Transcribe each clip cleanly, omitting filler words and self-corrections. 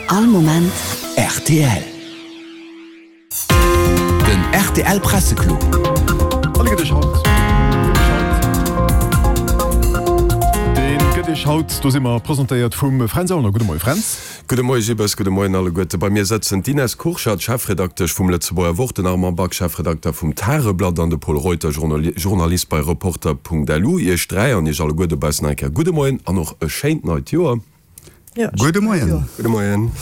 All Moment rtl. Den rtl Presseclub. An dee gëtt iech haut, dee gëtt iech haut, do si mer, presentéiert vum Fränz Aulner. Gudde Moie Fränz. Gudde Moie Gibbes, gudde Moien alleguerte. Bei mir sëtzen d'Ines Kurschat, Chefredaktesch vum Lëtzebuerger Wort, den Armand Back, Chefredakter vum Tageblatt an de Pol Reuter, Journalist bei Reporter.lu. Iech 3 an iech alleguer dobaussen nach eng Kéier gudde Moien an och e schéint neit Joer. Gudde Moien. Gudde Moien.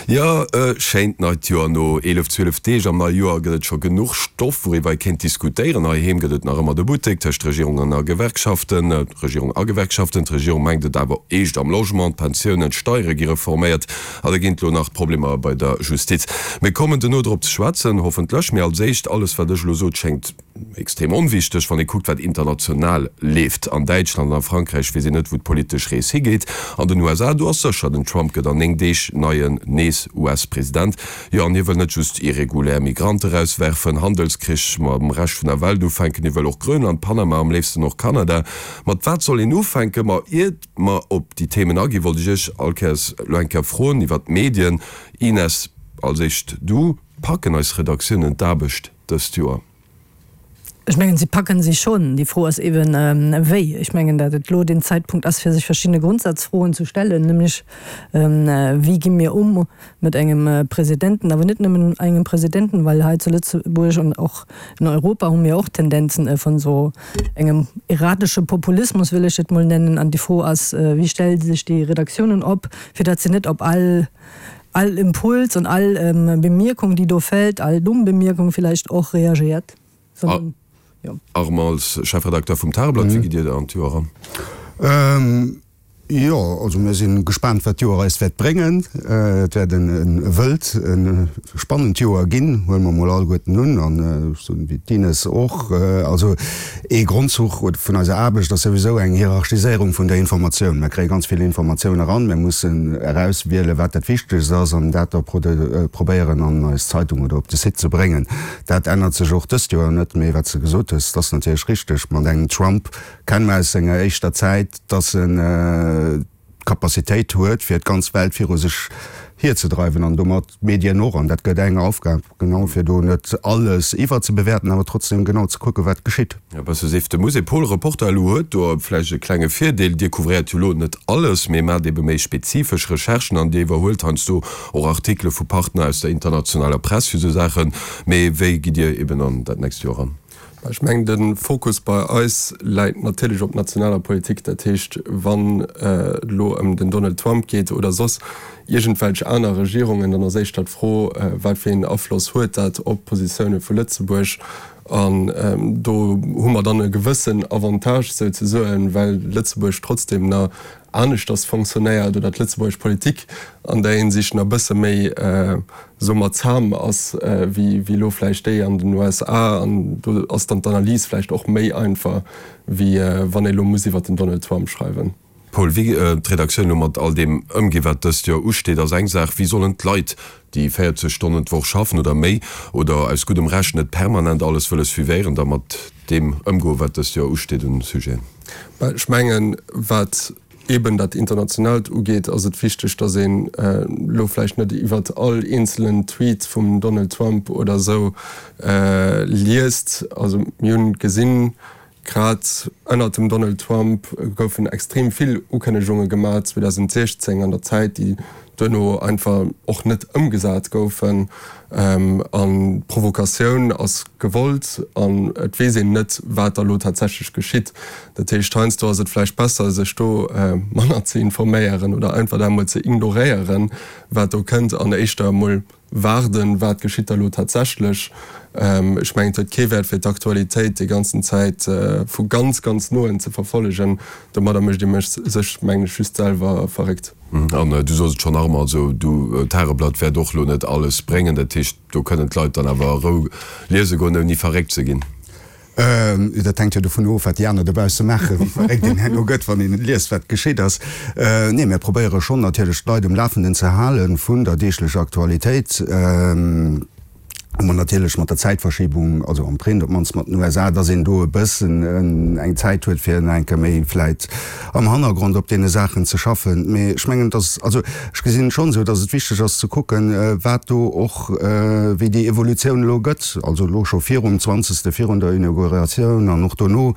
Jo, e schéint neit Joer. No 11, 12 Deeg am neie Joer gëtt et scho genuch Stoff, wouriwwer ee kéint diskutéieren. Heiheem gëtt et nach ëmmer de Buttek tëscht Regierung an a Gewerkschaften. Regierung a Gewerkschaften. D'Regierung mengt et awer eescht am Logement, d'Pensiounen, d'Steiere gi reforméiert a da ginn et elo nach d'Problemer bei der Justiz. Mir kommen duerno drop ze schwätzen, hoffentlech. Mee als éischt, alles wat ech elo sot, schéngt extrem onwichteg, wann ee kuckt wat international leeft. An Däitschland an a Frankräich weess een net wou d'politesch Rees higeet. An den USA, do ass sécher, den Trump gëtt an 9 Deeg neien nees US-President. Jo, an hie wëll net just irregulär Migrante erauswerfen, Handelskrich mam Rescht vun der Welt ufänken, hie wëll och Grönland, Panama, am léifsten och Kanada. Mat wat soll een ufänken? Ma iert mer op déi Themen aginn, wollt ech Iech all Kéiers elo eng Kéier froen iwwert d'Medien. Ines, als éischt du, Packen eis Redaktiounen d'Aarbecht dëst Joer? Ech mengen, si packen si schonn. Déi Fro ass eeben, wéi. Ech mengen, datt et elo den Zäitpunkt ass, fir sech verschidde Grundsatzfroen ze stellen, nämlech, Wéi gi mir um mat engem Presidenten, awer net nëmmen engem Presidenten, well hei zu Lëtzebuerg an och in Europa hu mir och Tendenzen vun esou engem erratesche Populismus, wëll ech et mol nennen. An déi Fro ass, Wéi stelle sech déi Redaktiounen op, fir datt se net op all all Impuls an all Bemierkung, déi do fält, all dumm Bemierkung villäicht och reagiert, sondern, jo. Armand, als Chefredakteur vum Tageblatt, wéi gitt Dir an d'Joer eran? Jo, also mir si gespaant, wat d'Joer eis wäert bréngen. Et wäert e wëllt, e spannend Joer ginn, huele mer mol alleguerten un, an ech soen, wéi d'Ines och. Also Ee Grondzuch vun eiser Aarbecht ass souwisou eng Hierarchiséierung vun der Informatioun. Mir kréie ganz vill Informatioun eran, mir mussen erauswielen, wat dat Wichtegst ass an dat da probéieren an eis Zeitung oder op de Site ze bréngen. Dat ännert sech och dëst Joer net. Mee wat s de gesot hues, dat ass natierlech richteg, mat engem Trump kenne mer aus senger éischter Zäit, dass en, d'Capacitéit huet, fir d'ganz Welt viru sech hierzedreiwen an domat d'Medien och. An dat gëtt eng Aufgab, genau, fir do net alles iwwerzebewäerten, awer trotzdem genau ze kucken, wat geschitt. E bësse Sift de Musée. Paul, Reporter elo huet do vläicht e klenge Virdeel, Dir couvréiert jo elo net alles, mee maacht ebe méi spezifesch Recherchen an Dir iwwerhuelt heiansdo och Artikele vu Partner aus der internationaler Press fir esou Saachen. Mee wéi gitt Dir eben an dat nächst Joer eran? Ech mengen, de Fokus bei eis läit natierlech op nationaler Politik. Dat heescht, wann et elo ëm den Donald Trump geet oder soss iergendwelch aner Regierungen, dann ass éischter d'Fro, wat fir een Afloss huet dat op d'Positioune vu Lëtzebuerg? An do hu mer dann e gewëssen Avantage souzesoen, well Lëtzebuerg trotzdeem nach aneschters fonctionnéiert oder d'lëtzebuergesch Politik an där Hinsicht nach e bësse méi, soe mer, zam ass wéi elo vläicht déi an den USA. An do ass dann d'Analys vläicht och méi einfach, wéi wann ee elo muss iwwer den Donald Trump schreiwen. Paul, wéi d'Redaktioun elo mat all deem ëmgeet, wat dëst Joer usteet, ass eng Saach. Wéi sollen d'Leit, déi 40 Stonnen d'Woch schaffen oder méi oder aus guddem Recht net permanent alles wëlle suivéieren, da mat deem ëmgoen, wat dëst Joer usteet un Sujeten? Ech mengen, wat eeben dat Internationaalt ugeet, ass et wichteg, datt een elo vläicht net iwwert all eenzelen Tweet vum Donald Trump oder esou liest. Also mir hunn gesinn, grad ënnert dem Donald Trump goufen extrem vill Ukënnegunge gemaach 2016 an der Zäit, déi duerno einfach och net ëmgesat goufen. An d'Provokatioun ass gewollt an et weess een net, wat da lo tatsächlech geschitt. Dat heescht, heiansdo ass et vläicht besser, sech do manner ze informéieren oder einfach dat emol ze ignoréieren, wat do kënnt an éischter emol waarden, wat geschitt da lo tatsächlech. Ech mengen, et huet kee Wäert, fir d'Aktualitéit déi ganzen Zäit vu ganz, ganz noen ze verfollegen. Domadder mécht ee sech, mengen ech, just selwer verréckt. An du sos et schonn, Armand, also du, d'Tageblatt wäert och elo net alles bréngen. Dat heescht, do kënnen d'Leit dann awer a Rou liese goen, ouni verréckt ze ginn. Dat hänkt jo dovun of, wat déi aner dobausse maachen, wéi verréckt een herno gëtt, wann een liest, wat geschitt ass. Nee, mir probéiere schonn natierlech d'Leit um Lafenden ze hale vun der deeglecher Aktualitéit. Hu mer natierlech mat der Zäitverschiebung, also am Print op d'mannst mat den USA, dass een do e bëssen eng Zäit huet, fir nach eng Kéier méi vläit am Hannergrond op deene Saachen ze schaffen. Mee ech mengen, dass, also ech gesinn et schonn esou, dass et wichteg ass ze kucken, wat do och, wéi déi Evolutioun elo gëtt, also elo scho virum zwanzegste, virun der Inauguratioun an och dono.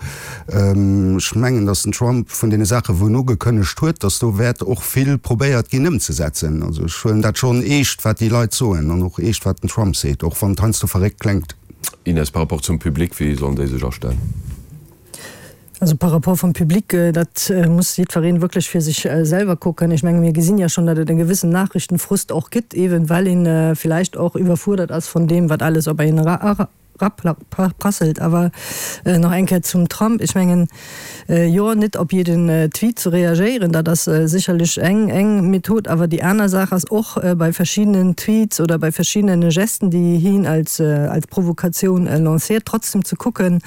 Ech mengen, dass den Trump vun deene Saachen, wou en ugekënnegt huet, dass do wäert och vill probéiert ginn ëmzesetzen. Also ech huelen dat schonn eescht, wat déi Leit soen an och eescht, wat den Trump seet, och wann et heiansdo verréckt klengt. Ines, par rapport zum Public, wéi sollen déi sech astellen? Also par rapport vum Public, dat muss jiddweree wierklech fir sech selwer kucken. Ech menge mir gesinn ja schonn, datt et e gewëssen Nachrichtenfrust och gëtt, eeben well ee villäicht och iwwerfuerdert ass vun deem, wat alles op een Prasselt. Awer nach eng Kéier zum Trump, Ech mengen, jo, net op jeden Tweet ze reagéieren, dat ass sécherlech eng eng Method. Awer déi aner Saach ass och, bei verschiddenen Tweets oder bei verschiddene Gesten, déi hien als als Provokatioun lanciert, trotzdem ze kucken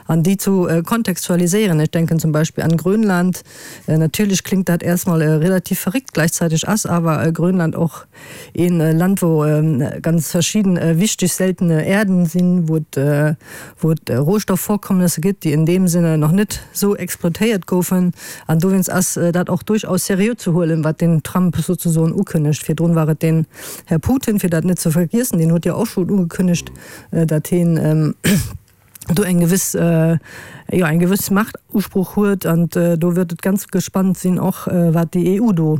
an déi ze kontextualiséieren. Ech denken zum Beispill an Grönland. Natierlech klingt dat erstmol relativ verréckt, gleichzeitig ass awer Grönland och Een Land wou ganz verschidden wichteg seltene Erden sinn, wou et wou et Rohstoffvorkommnisse gëtt, déi in deem Sinne nach net sou exploitéiert goufen. An dowéinst ass dat och duerchaus seriö ze huelen, wat den Trump souzesoen ukënnegt. Virdrun war et den Här Putin, fir dat net ze vergiessen, deen huet jo och schonn ugekënnegt, dat heen do eng gewëss, jo eng gewëss Machtusproch huet. An do wird et ganz gespannt sinn och, wat déi EU do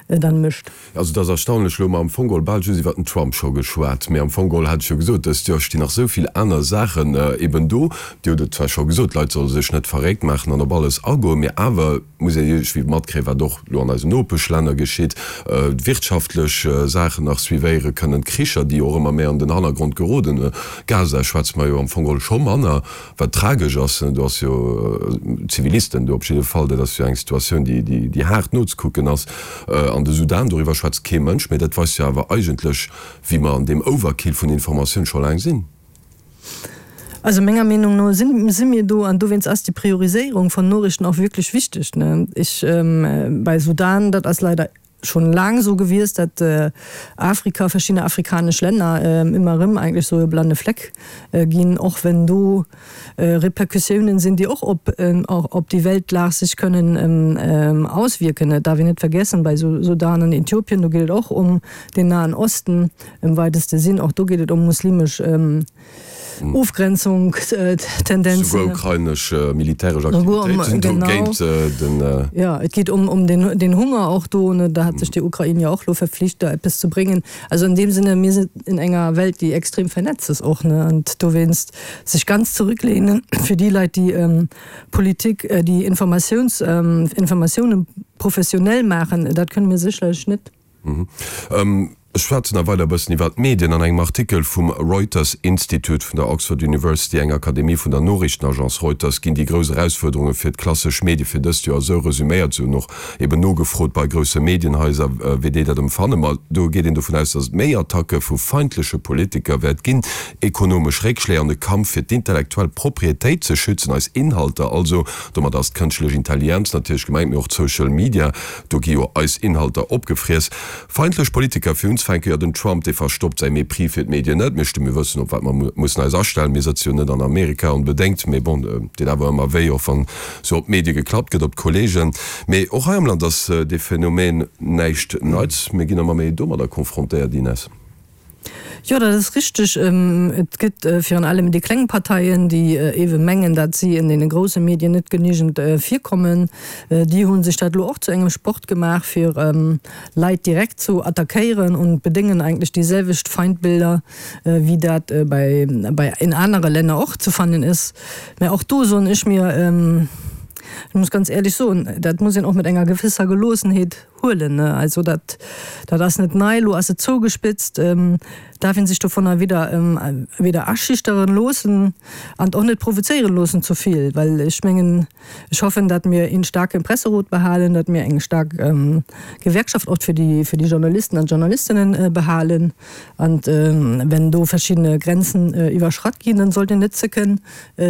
dann mécht. Also et ass erstaunlech, elo hu mer am Fong geholl bal just iwwert den Trump scho geschwat, mee am Fong geholl hat ech jo gesot, dëst Joer stinn nach esou vill aner Saachen eben do. Dir hutt et zwar scho gesot, d'Leit solle sech net verréckt maachen an op alles agoen, mee awer muss een iergendwéi matkréien, wat och elo an eisen Nopeschlänner geschitt, d'wirtschaftlech Saachen nach suivéiere kënnen, d'Kricher, déi och ëmmer méi an den Hannergrond geroden, Gaza schwätze mer jo am Fong geholl scho manner, wat tragesch ass, do ass jo Zivilisten do op jidde Fall, dat ass jo eng Situatioun, déi déi haart nozekucken ass. An de Sudan, doriwwer schwätzt kee Mënsch, mä dat weist jo awer eigentlech, wéi mer an deem Overkill vun Informatioun scho laang sinn. Also menger Meenung no si mir do, an dowéinst ass déi Prioriséierung von Noriichten och wierklech wichteg. Ech, bei Sudan, dat ass leider schon laang esou gewiesst, dat Afrika, verschidde afrikanesch Länner ëmmer erëm eigentlech esou e blande Fleck ginn, och wenn do Repercussiounen sinn, déi och op op déi Weltlag sech kënnen auswierken. Et darf een net vergessen, bei Sudan an Äthiopien, do geet et och ëm den Nahen Osten im weiteste Sinn, och do geet et ëm muslimesch Ofgrenzungstendenzen. Souguer ukrainesch militäresch Aktivitéiten do géint den. Jo, et geet ëm den Hunger och do. Da hat sech déi Ukrain jo och elo verpflicht, da eppes ze bréngen. Also an deem Sinne, mir sinn in enger Welt, déi extrem vernetzt ass och, ne, an dowéinst sech ganz zurücklehnen fir déi Leit, déi Politik, déi Informatiouns, Informatiounen professionell maachen, dat kënne mir sécherlech net. Ech schwätzen nach weider e bëssen iwwert d'Medien. An engem Artikel vum Reuters Institute vun der Oxford University, eng Akademie vun der Noriichtenagence Reuters, ginn déi grouss Erausfuerderunge fir d'klassesch Medie fir dëst Joer esou resuméiert. Se hunn och eben nogefrot bei grousse Medienhaiser, wéi déi dat emfannen. Ma do geet een dovun aus, datt et méi Attacke vu feindleche Politiker wäert ginn, ekonomesch Réckschléi an e Kampf fir d'intellektuell Proprietéit ze schützen, eis Inhalter also. Domat ass d'kënschtlech Intelligenz natierlech gemengt, mee och d'Social Media. Do gi jo eis Inhalter opgefriess. Feindlech Politiker fir unzefänken, jo den Trump dee verstoppt säi Mépris fir d'Medien net. Mir sti mir wëssen op wat mer mussen eis astellen. Mir sëtze jo net an Amerika onbedéngt, mee bon, deet awer ëmmer wéi, och wann sou op d'Medie geklappt gëtt, op d'Kollegen. Mee och hei am Land ass dee Phänomen näischt Neits. Mir ginn ëmmer méi domadder confrontéiert, Ines. Jo, dat ass richteg. Et gëtt virun allem déi kleng Parteien, déi ewe mengen, datt si en deene grousse Medien net genügend virkommen. Déi hu sech dat elo och zu engem Sport gemaach, fir Leit direkt zu attackéieren und bedéngen eigentlech déi selwecht Feindbilder, wéi dat bei bei in anere Länner och ze fannen is. Mä och do soen ech mir, ech muss ganz éierlech soen, dat muss een och mat enger gewësser Geloossenheet Huelen, ne? Also dat, dat ass net nei, elo ass et zougespitzt. Darf een sech dovunner weder, weder aschüchteren loossen an och net provozéieren loossen ze vill, well ech mengen, ech hoffen, datt mir een staarke Presserot behalen, datt mir eng staark Gewerkschaft och fir déi, fir déi Journalisten an Journalistinnen behalen. An wenn do verschiddene Grenzen iwwerschratt ginn, dann sollt een net zécken,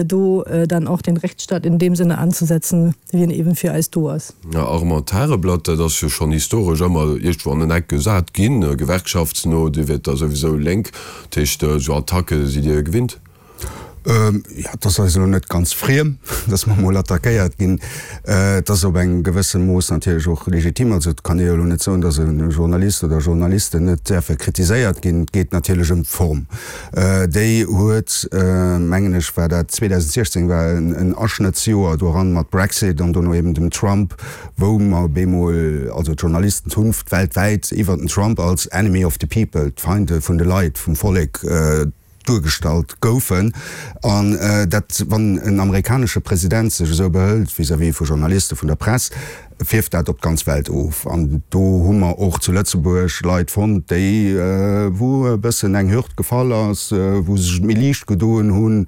do dann och den Rechtsstaat in dem Sinne anzusetzen, wéi en eben fir eis do ass. Armand, Tageblatt, dat ass jo scho. schonn historesch ëmmer iergendwou an en Eck gesat ginn, gewerkschaftsno, Dir wiert da souwisou lénk, dat heescht esou Attacke sidd Dir gewinnt? Jo, et ass eis elo net ganz friem, datt mer emol attackéiert ginn. Et ass op engem gewësse Mooss natierlech och legitim. Also et kann ee jo elo net soen, datt e Journalist oder Journalisten net däerfe kritiséiert ginn. Et geet natierlech ëm d'Form. Déi huet, mengen ech, war dat 2016, war en Aschnëttsjoer doran mat Brexit an dono eben dem Trump, wou mer op eemol, also d'Journalisten hunn weltwäit iwwert den Trump als Enemy of the people, d'Feinde vun de Leit, vum Vollek, duergestallt goufen, an dat, wann en amerikanesche President sech esou behëlt vis-à-vis vu Journalisten, vun der Press, fierft dat op d'ganz Welt of. An do hu mer och zu Lëtzebuerg Leit fonnt, déi, wou e bëssen eng Hürd gefall ass, wou sech et méi liicht gedoen hunn,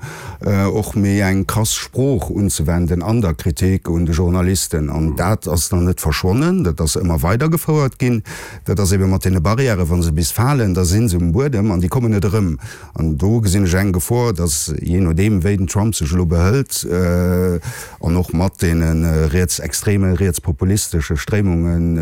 och méi eng krass Sprooch unzewenden an der Kritik un de Journalisten. An dat ass dann net verschwonnen, dat ass ëmmer weidergefouert ginn. Dat ass ebe mat deene Barrièren, wa se bis falen, da si se um Buedem an déi kommen net erëm. An do gesinn ech eng Gefor, datt, jee nodeem wéi den Trump sech elo behëlt, an och mat deene rietsextreme, rietspopulistesche Stréimungen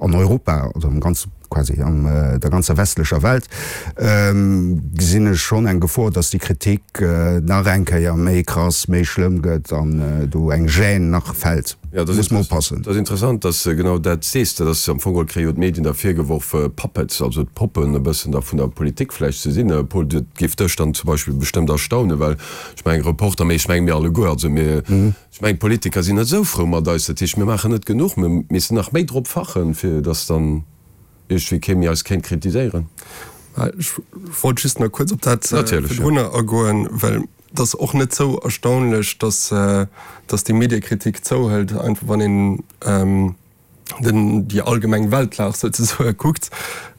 an Europa, also am ganze, quasi an der ganzer westlecher Welt, gesinn ech schonn eng Gefor, datt déi Kritik nach eng Kéier méi krass, méi schlëmm gëtt an do eng Gêne nach fält. Jo, dat Muss mer oppassen. ass interessant, dass de genau dat sees. Dat ass am Fong geholl, kréie jo d'Medien da virgeworf, Puppets, also d'Poppen e bëssen da vun der Politik vläicht ze sinn. Paul, dat géif dech dann zum Beispill bestëmmt erstaunen, well ech mengen, Reporter, mee ech menge mir alleguer, also mir, ech mengen d'Politiker sinn net esou frou mat eis, dat heescht mir maachen net genuch, mir missten nach méi drop fachen, fir dass dann iergendwéi kee méi eis kéint kritiséieren. Ech wollt just nach kuerz op dat virdrunner agoen, well Et ass och net sou erstaunlech, dass dass déi Mediekritik zouhëlt, einfach wann een den déi allgemeng Weltlag souzesoe kuckt.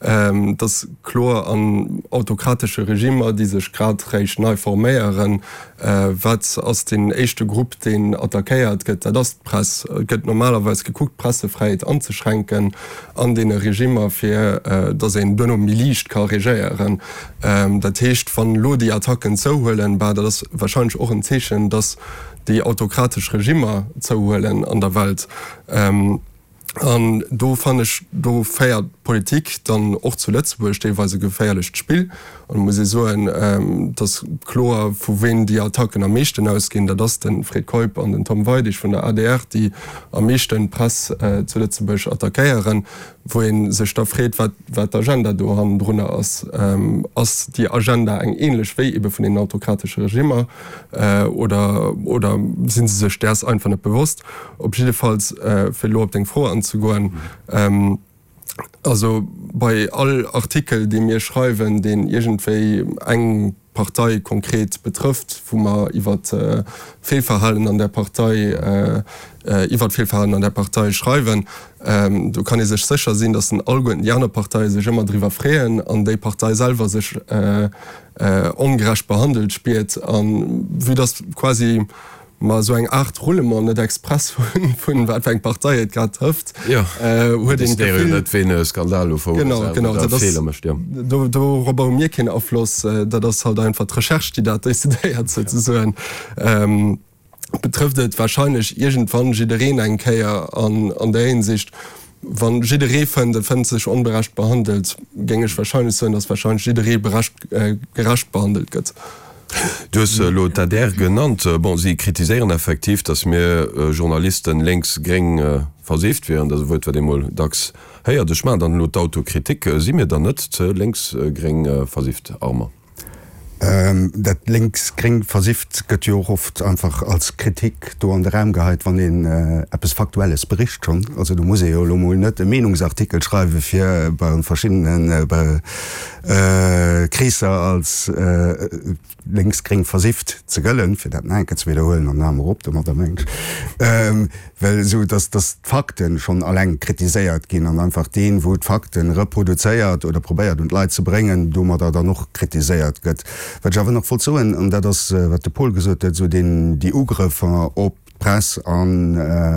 Et ass kloer, an autokratesche Regimmer, déi sech grad réischt nei forméieren, wat ass deen éischte Grupp, deen attackéiert gëtt? Dat ass d'Press. Et gëtt normalerweis gekuckt, d'Pressefräiheet anzeschränken an deene Regimmer, fir dass een duerno méi liicht ka regéieren. Dat heescht, wann elo déi Attacken zouhuelen, bah, dat ass wahrscheinlech och en Zeechen, datt déi autokratesch Regimmer zouhuelen an der Welt. An do fannen ech, do féiert d'Politik dann och zu Lëtzebuerg deelweis e geféierlecht Spill. An et muss ee soen, et ass kloer, vu ween déi Attacken am meeschten ausginn, dat ass de Fred Keup an den Tom Weidig vun der adr, déi am meeschten d'Press zu Lëtzebuerg attackéieren. Wou ee sech da freet, wat wat d'Agenda do hannendrunner ass. Ass déi Agenda eng ähnlech wéi ebe vun deenen autokratesche Regimmer oder oder si se sech däers einfach net bewosst? Op jiddefalls, fir elo op deng Fro anzegoen, also bei all Artikel, dee mir schreiwen, deen iergendwéi eng Partei konkret betrëfft, wou mer iwwer Feelverhalen an där Partei, iwwert Feelverhalen an där Partei schreiwen, do kann ee sech sécher sinn, datt den alleguerten déi aner Parteie sech ëmmer driwwer freeën an déi Partei selwer sech ongerecht behandelt spiert. A vue datt quasi mer esou eng Aart Roulement net express hunn, vun wat fir eng Partei et grad trëfft, huet een d'Gefill. Net ween e Skandal elo verursacht oder Feeler mécht, jo. Genau, dorobber hu mir keen Afloss, dat ass halt einfach d'Recherche, déi dat decidéiert souzesoen. Betrëfft et wahrscheinlech iergendwann jiddereen eng Kéier an an där Hinsicht, wa jidderee fënnt, e fënnt sech onberecht behandelt, géing ech wahrscheinlech soen, datt wahrscheinlech jidderee berecht, gerecht behandelt gëtt. Du hues elo d'ADR genannt. Bon, si kritiséieren effektiv, datt mir Journalisten lénks-gréng versifft wieren. Dat ass e Wuert, wat ee mol dacks héiert. Ech maachen dann elo d'Autokritik. Si mir dann net ze lénks-gréng versifft, Armand? Dat lénks-gréng versifft gëtt jo och oft einfach als Kritik do an de Raum geheit, wann een eppes Faktuelles bericht schonn. Also do muss ee jo elo mol net e Meenungsartikel schreiwe fir bei verschiddene Kreesser als lénks-gréng versifft ze gëllen, fir dat nach eng Kéier ze widderhuelen, an dann hale mer op domadder, mengen ech, well esou dass dass d'Fakte schonn alleng kritiséiert ginn an einfach deen, wou d'Fakte reproduzéiert oder probéiert un d'Leit ze bréngen, domadder dann och kritiséiert gëtt. Wat ech awer nach wollt soen, an dat ass wat de Paul gesot huet, esou deen déi Ugrëffer op. D'Press an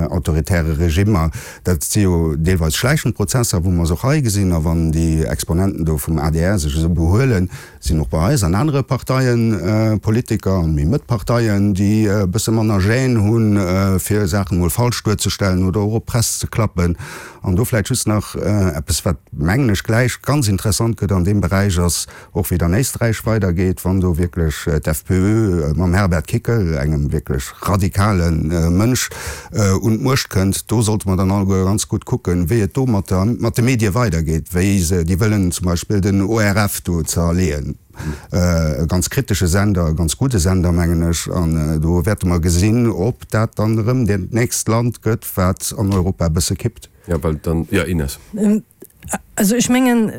autoritäre Regimmer, dat si jo deelweis schläichend Prozesser, wou mer se och hei gesinn. A wann déi Exponenten do vum adr sech esou behuelen, sinn och bei eis an anere Parteien Politiker an méi Mëtt-Parteien, déi e bësse manner Gêne hunn, fir Saachen emol falsch duerzestellen oder och op d'Press ze klappen. An do vläicht just nach eppes, wat, mengen ech, gläich ganz interessant gëtt an deem Beräich, ass, Och wéi et an Éisträich weidergeet, wann do wierklech d'FPÖ mam Herbert Kickl, engem wierklech radikale Mënsch, un d'Muecht kënnt, do sollte mer dann alleguer ganz gutt kucken, wéi et do mat der, mat de Medie weidergeet, wéi se, déi wëllen zum Beispill den ORF do zerleeën, e ganz kritesche Sender, e ganz gudde Sender, mengen ech, an do wäerte mer gesinn, ob dat dann erëm dat nächst Land gëtt, wat an Europa e bësse kippt. Jo, well dann, jo, Ines. Also ech mengen,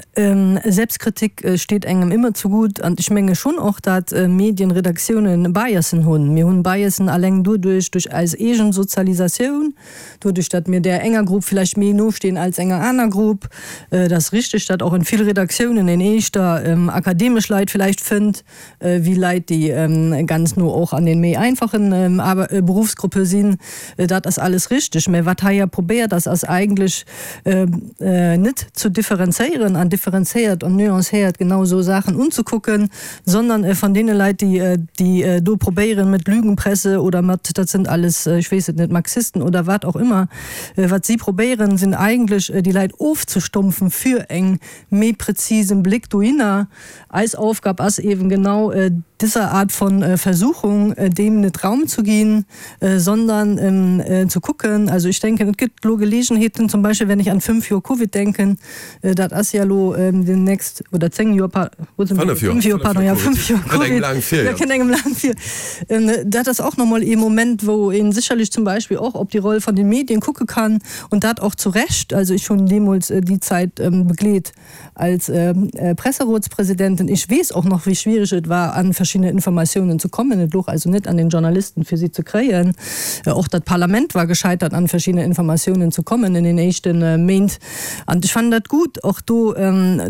Selbstkritik steet engem ëmmer zugut an ech menge schonn och, datt Medienredaktiounen Biasen hunn. Mir hunn Biasen alleng doduerch, duerch eis eegen Sozialisatioun, doduerch datt mir där enger Grupp vläicht méi no stinn als enger aner Grupp. Et ass richteg, datt och en vill Redaktiounen een éischter akademesch Leit vläicht fënnt, wéi Leit, déi ganz no och an den méi einfachen Berufsgruppe sinn. Dat ass alles richteg. Mä wat hei jo probéiert ass, ass eigentlech net ze differenzéieren an differenzéiert an nuancéiert genau esou Saachen unzekucken, sondern van deene Leit, déi déi do probéieren mit Lügenpresse oder mat, dat sind alles, ech weess et net, Marxisten oder wat och immer, wat si probéieren, sinn eigentlech déi Leit ofzestumpfen fir eng méi präzisen Blick dohinner. Eis Aufgab ass eben genau dieser Art von Versuchung deem net Raum zu ginn, sondern zu kucken, also ich denken, et gëtt elo Gelegenheeten, zum Beispill wenn ich an 5 Joer Covid denken, dat ass ja elo demnächst, oder 10 Joer, 5 Joer, pardon, ja 5 Joer Covid, dat kënnt engem laang vir, dat ass och nach emol ee Moment, wou ee sécherlech zum Beispill och op déi Roll von den Medien kucke kann und dat och zu Recht, also ich hunn deemools déi Zäit begleet, Als Presserotspräsidentin, ich weess och nach, wéi schwierig et war, an verschidde Informatiounen ze kommen. Et louch also net an den Journalisten, fir si ze kréien. Och dat Parlament war gescheitert, an verschidde Informatiounen ze kommen in den éischte Méint. An ech fannen dat gut, och do,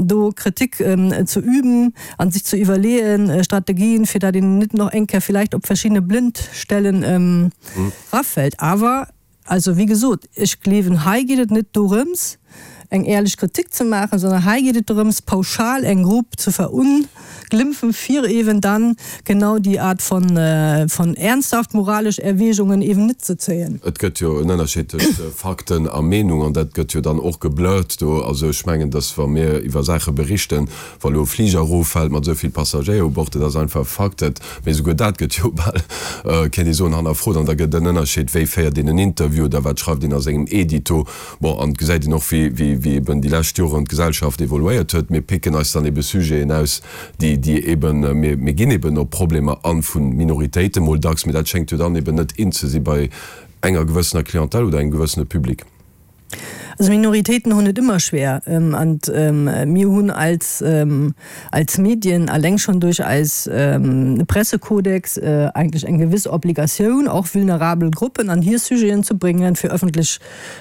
do Kritik ze üben an sich ze iwwerleeën, Strategien, fir dat een net nach eng Kéier vielleicht op verschidde Blindstellen rafällt. Awer Also, wéi gesot, ech gleewen, hei geet et net dorëms, eng éierlech Kritik ze maachen, sondern hei geet et dorëms, pauschal eng Grupp ze verunglimpfen, fir eeben dann genau déi Art von, von ernsthaft moralesch Erwägungen eeben net ze zéien. Et gëtt jo en Ënnerscheed tëscht Fakten a Meenung, an dat gëtt jo dann och geblurrt do. Also ech mengen, dass wa mir iwwer Saache berichten, Wa lo e Fliger eroffält mat esou vill Passagéier u Bord, dat ass einfach e Fakt, dat, mee esouguer dat gëtt jo bal, kéint ee soen, hannerfrot. An da gëtt et en Ënnerscheed, wéi féiert een en Interview oder wat schreift een a sengem Edito. Bon, an et gesäit een och, wéi, wéi, wéi eben déi lescht Joren d'Gesellschaft evoluéiert huet. Mir picken eis dann ebe Sujeten aus, déi, déi eben, mir, mir ginn eben op Problemer an vu Minoritéiten mol dacks, mee dat schéngt jo dann eben net in ze si bei enger gewëssener Clientèle oder engem gewëssene Public. Also Minoritéiten hunn et ëmmer schwer an mir hunn als als Medien alleng schonn duerch eis Pressekodex eigentlech eng gewëss Obligatioun och vulnerabel Gruppen an hir Sujeten ze bréngen. Fir ëffentlech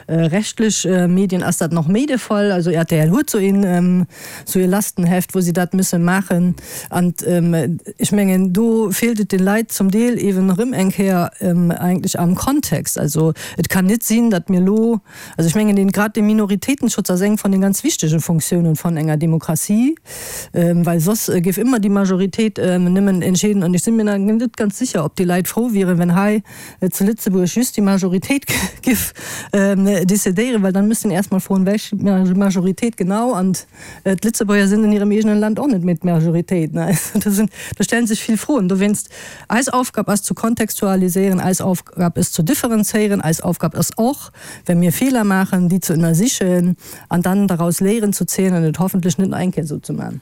rechtlech Medien ass dat nach méi de Fall. Also rtl huet sou een sou ee Lastenheft wou si dat müsse maachen an ech mengen do feelt et den Leit zum Deel eeben erëm eng Kéier eigentlech am Kontext. Also Et kann net sinn, datt mir elo, also ech mengen, dee grad dee Minoritéitenschutz ass eng von den ganz wichtege Funktiounen von enger Demokratie, well soss géif ëmmer déi Majoritéit nëmmen entscheeden. An ech si mir net ganz sécher, ob déi Leit frou wieren, wenn hei zu Lëtzebuerg just déi Majoritéit géif décidéieren, well dann müsst een erst mol froen, welch Majoritéit genau. An d'Lëtzebuerger sinn an hirem eegenen Land och net méi d'Majoritéit. Do stellen sech vill Froen. Dowéinst, eis Aufgab ass zu kontextualiséieren, eis Aufgab ist zu differenzéieren, eis Aufgab ass och, wenn mir Feeler maachen, déi ze ënnersichen an dann daraus Léieren zu zéien an et hoffentlech net nach eng Kéier esou ze maachen.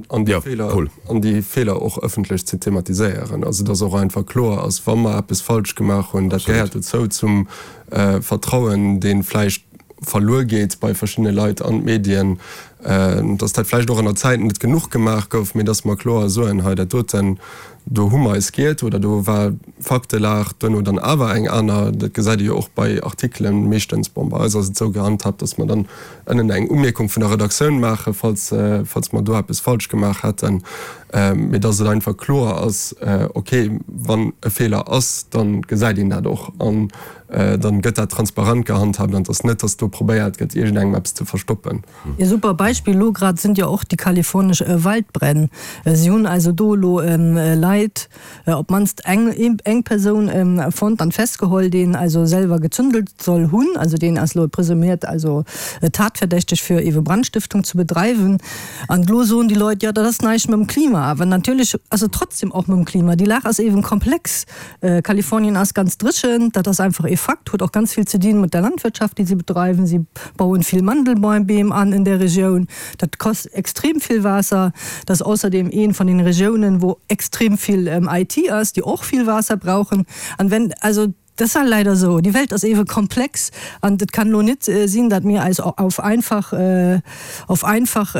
An déi Feeler, an déi Feeler och ëffentlech ze thematiséieren. Also dass och einfach kloer ass, wa mer eppes falsch gemaach hunn, dat gehéiert dozou zum Vertrauen, dee vläicht verluer geet bei verschiddene Leit an d'Medien. Dass dat vläicht och an der Zäit net genuch gemaach gouf, mee dass mer kloer soen, hei dat doten, do hu mer eis giert oder do war d'Faktelag duerno dann awer eng aner. Dat gesäit ee jo och bei Artikelen meeschtens. Bon, bei eis ass et esou gehandhaabt, dass mer dann ënnen eng Umierkung vun der Redaktioun maachen, falls, falls mer do eppes falsch gemaach hätten, mee dass et einfach kloer ass, okay, wann e Feeler ass, da gesäit een dat och an dann gëtt dat transparent gehandhaabt an et ass net, dass do probéiert gëtt, iergendengem eppes ze verstoppen. E super Beispill elo grad sinn jo och déi kalifornesch Waldbränn. Si hunn also do elo Leit, op d'mannst eng eng Persoun fonnt an festgeholl, deen also selwer gezündelt soll hunn. Also deen ass elo presumiert also tatverdächteg fir ewe Brandstëftung ze bedreiwen. An elo soen déi Leit, jo dat ass näischt mam Klima. Awer natierlech ass et trotzdem och mam Klima. Déi Lag ass ewen komplex. Kalifornien ass ganz dréchen, dat ass einfach ee Fakt, huet och ganz vill ze dinn mat der Landwirtschaft, déi si bedreiwen. Si bauen vill Mandelbeem an in der Regioun, dat kost extrem vill Waasser. Dat ass ausserdem een vun den Regiounen, wou extrem vill IT ass, déi och vill Waasser brauchen. An wenn, also dat ass leider esou, déi Welt ass ewe komplex an et kann elo net sinn, datt mir eis auf einfach auf einfach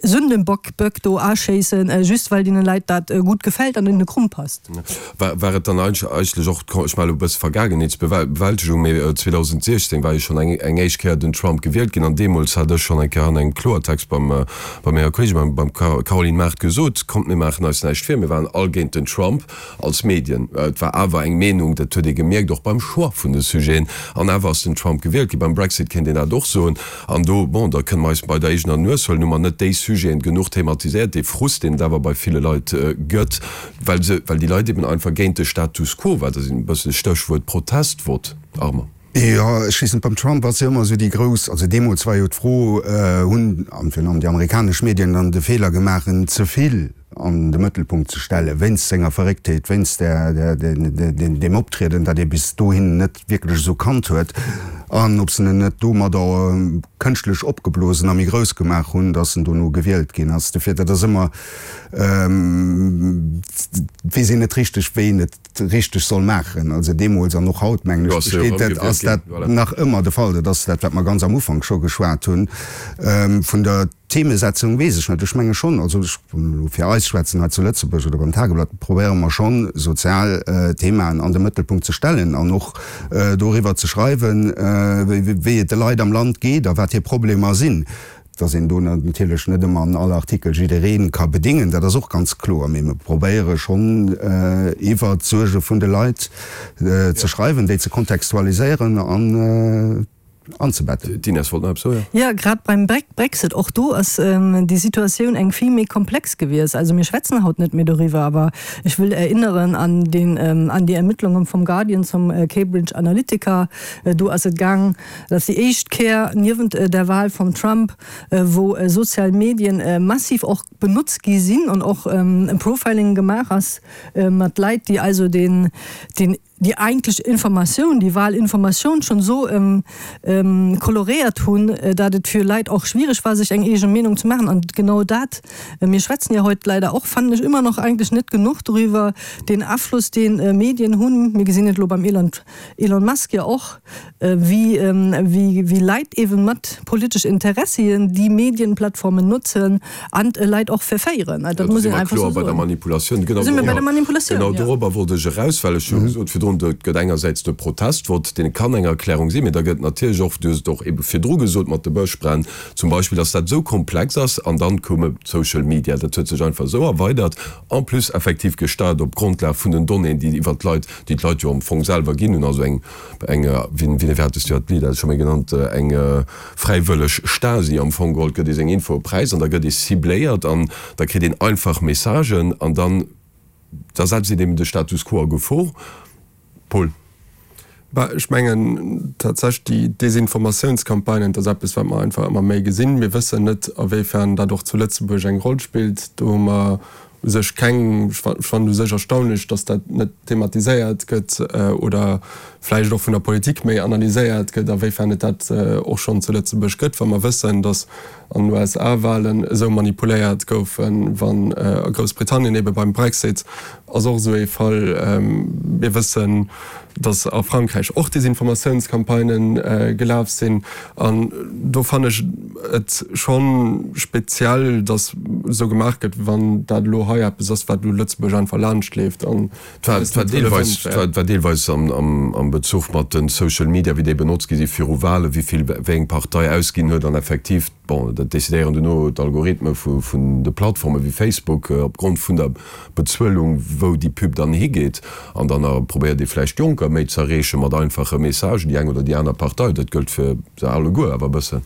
Sündenbock Böck do aschéissen, just well deene Leit dat gutt gefält an in de Krumm passt. War war et dann eigentlech och, ech maache elo e bësse Vergaangenheetsbewältegung, mee 2016 war jo schonn eng eng éischt Kéier den Trump gewielt ginn an deemools hat ech schonn eng Kéier an engem Kloertext beim bei menger Kolleegin, beim beim Caroline Mart gesot, kommt mir maachen eis näischt vir, mir waren all géint den Trump als Medien. Et war awer eng Meenung, dat huet ee gemierkt, och beim Choix vun de Sujeten, an awer ass den Trump gewielt ginn. Beim Brexit kéint een dat och soen. An do, bon, da kënne mer eis bei der eegener Nues huelen, hu mer net déi Sujeten genuch thematiséiert, dee Frust, deen et awer bei ville Leit gëtt, well se, well déi Leit eben einfach géint de Status quo war. Dat ass e bëssen Stéchwuert Protestvott, Armand. Jo, ech weess net, beim Trump ass jo ëmmer esou déi grouss, also deemools war jo d'Fro, hunn, an virun allem déi amerikanesch Medien dann de Feeler gemaach, en ze vill an de Mëttelpunkt ze stellen, wéinst senger Verrécktheet, wéinst där, deem Optrieden, dat ee bis dohin net wierklech esou kannt huet, an ob se en net domadder kënschtlech opgeblosen a méi grouss gemaach hunn, datt en dono gewielt ginn ass. Dofir, dat ass ëmmer, weess een net richteg, wéi een et richteg soll maachen. Also deemools an och haut, mengen ech, besteet dat, ass dat nach ëmmer de Fall. Dat ass dat, wat mer ganz am Ufank scho geschwat hunn. Vun der Themesetzung weess ech net. Ech menge schonn, also ech wëll elo fir eis schwätzen hei zu Lëtzebuerg oder beim Tageblatt, probéiere mer schonn, sozial Themaen an de Mëttelpunkt ze stellen an och doriwwer ze schreiwen, wéi et de Leit am Land geet a wat hir Problemer sinn. Dass een do natierlech net ëmmer an all Artikel jidderee ka bedéngen, dat ass och ganz kloer. Mee mir probéiere schonn, iwwert d'Suerge vun de Leit ze schreiwen, déi ze kontextualiséieren an anzebetten. D'Ines wollt nach eppes soen. Jo, grad beim Brexit, och do ass déi Situatioun eng vill méi komplex gewiescht. Also mir schwätzen haut net méi doriwwer, awer ech wëll erinneren an den, an déi Ermittlungen vum Guardian zum Cambridge Analytica. Do ass et gaang, Dat ass déi éischt Kéier niewent der Wahl vum Trump, wou sozial Medien massiv och benotzt gi sinn an och Profiling gemaach ass mat Leit, déi also den, den, déi eigentlech Informatioun, déi Wahlinformatioun schonn esou koloréiert hunn, dat et fir Leit och schwiereg war, sech eng eege Meenung ze maachen. An genau dat, mir schwätzen jo heute leider och, fannen ech, ëmmer nach eigentlech net genuch doriwwer, deen Afloss, deen Medien hunn. Mir gesinn et elo beim Elon, Elon Musk jo och, wéi Leit eeben mat politesch Interessien déi Medienplattformen notzen an Leit och verféieren. Dat muss een einfach esou soen. Bei der Manipulatioun, genau. Da si mir bei der Manipulatioun, jo. Genau dorobber wollt ech eraus, well ech hu gesot virdrun, do gëtt engersäits de Protestvott, deen kann eng Erklärung sinn, mee da gëtt natierlech och, du hues et och ebe virdru gesot mat de Bëschbränn zum Beispill, dass dat esou komplex ass an dann koume d'Social Media, dat huet sech einfach esou erweidert, en plus effektiv gesteiert op Grondlag vun den Donnéeën, déi iwwert d'Leit, déi d'Leit jo am Fong selwer ginn hunn, also eng eng, wéi hates du dat Lidd scho méi genannt, eng fräiwëlleg Stasi am Fong geholl, gëtt ee seng Infoe präis an da gëtt ee cibléiert an da kritt een einfach Messagen an dann da setzt een eben de Status quo a Gefor. Paul. Bah, ech mengen tatsächlech déi Desinformatiounscampagnen, dat ass eppes wat mer einfach ëmmer méi gesinn. Mir wëssen net awéifern dat och zu Lëtzebuerg eng Roll spillt. Do hu mer u sech keng, ech fannen u sech erstaunlech, datt dat net thematiséiert gëtt oder vläicht och vun der Politik méi analyséiert gëtt, awéifern et dat och schonn zu Lëtzebuerg gëtt, wa mer wëssen, datt. An den USA-Walen esou manipuléiert goufen, wann a Groussbritannien ebe beim Brexit ass och esou ee Fall. Mir wëssen, datt a Frankräich och Desinformatiounscampagnë gelaf sinn. An do fannen ech et scho speziell, datt esou gemaach gëtt, wann dat elo hei eppes ass, wat elo Lëtzebuerg einfach laanscht leeft an Et war deelweis, war deelweis am Bezuch mat de Social Media, wéi déi benotzt gi si viru Wahlen, wéi vill wéi eng Partei ausginn huet an effektiv, bon, dat decidéieren duerno d'Algorithme vun de Plattforme wéi Facebook opgrond vun der Bezuelung, wou déi Pub dann higeet. An dann probéiert ee vläicht Jonker méi z'erreeche mat einfache Messagen, déi eng oder déi aner Partei. Dat gëllt fir se alleguer awer e bëssen.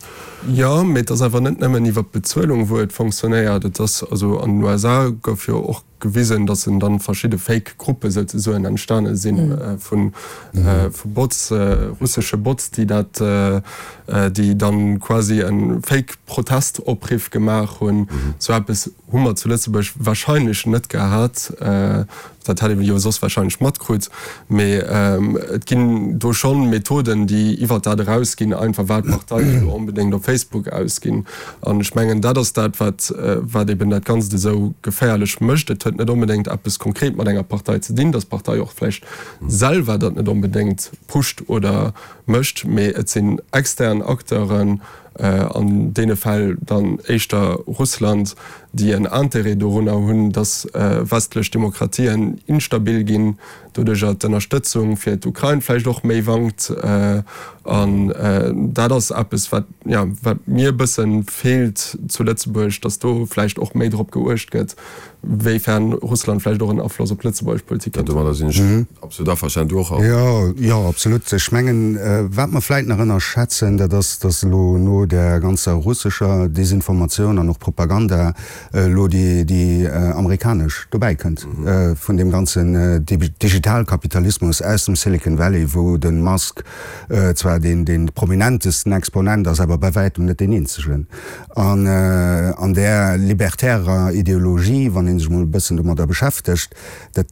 Jo, mee et ass awer net nëmmen iwwer d'Bezuelung, wou et fonctionnéiert. Et ass, also an den USA gouf jo och gewisen, dass en dann verschidde Fake Gruppe souzesoen entstane sinn vu Bots, russesche Bots, déi dat, déi dann quasi e Fake Protest-Opriff gemaach hunn. Sou eppes hu mer zu Lëtzebuerg wahrscheinlech net gehat. Dat hätt ee jo soss wahrscheinlech matkrut. Mee et ginn do schonn Methoden, déi iwwert dat erausginn, einfach wat d'Parteien elo onbedéngt op Facebook ausginn. An ech mengen, dat ass dat, wat, wat eben dat Ganzt esou geféierlech mécht. Et huet net onbedéngt eppes konkret mat enger Partei ze dinn, dass d'Partei och vläicht selwer dat net onbedéngt pusht oder mécht, mee et sinn extern Acteuren, an deene Fäll dann éischter Russland, déi en Intérêt dorunner hunn, dass westlech Demokratien instabil ginn, doduercher d'Ënnerstëtzung fir d'Ukrain vläicht och méi wankt. An dat ass eppes, wat, jo, wat mir e bësse feelt zu Lëtzebuerg, datt do vläicht och méi drop geuecht gëtt, wéifern Russland vläicht och en Afloss op d'lëtzebuergesch Politik huet. Domadder sinn ech absolut averstanen. Du och, Arno? Jo, jo, absolut. Ech mengen, wat mer vläicht nach ënnerschätzen, dat ass, datt elo no där ganzer russescher Desinformatioun an och Propaganda elo déi amerikanesch dobäi kënnt, vun deem ganzen Digitalkapitalismus aus dem Silicon Valley, wou de Musk zwar dee prominentesten Exponent ass, awer bei wäitem net deen eenzegen. An an där libertärer Ideologie, wann ee sech emol e bëssen domadder beschäftegt, dat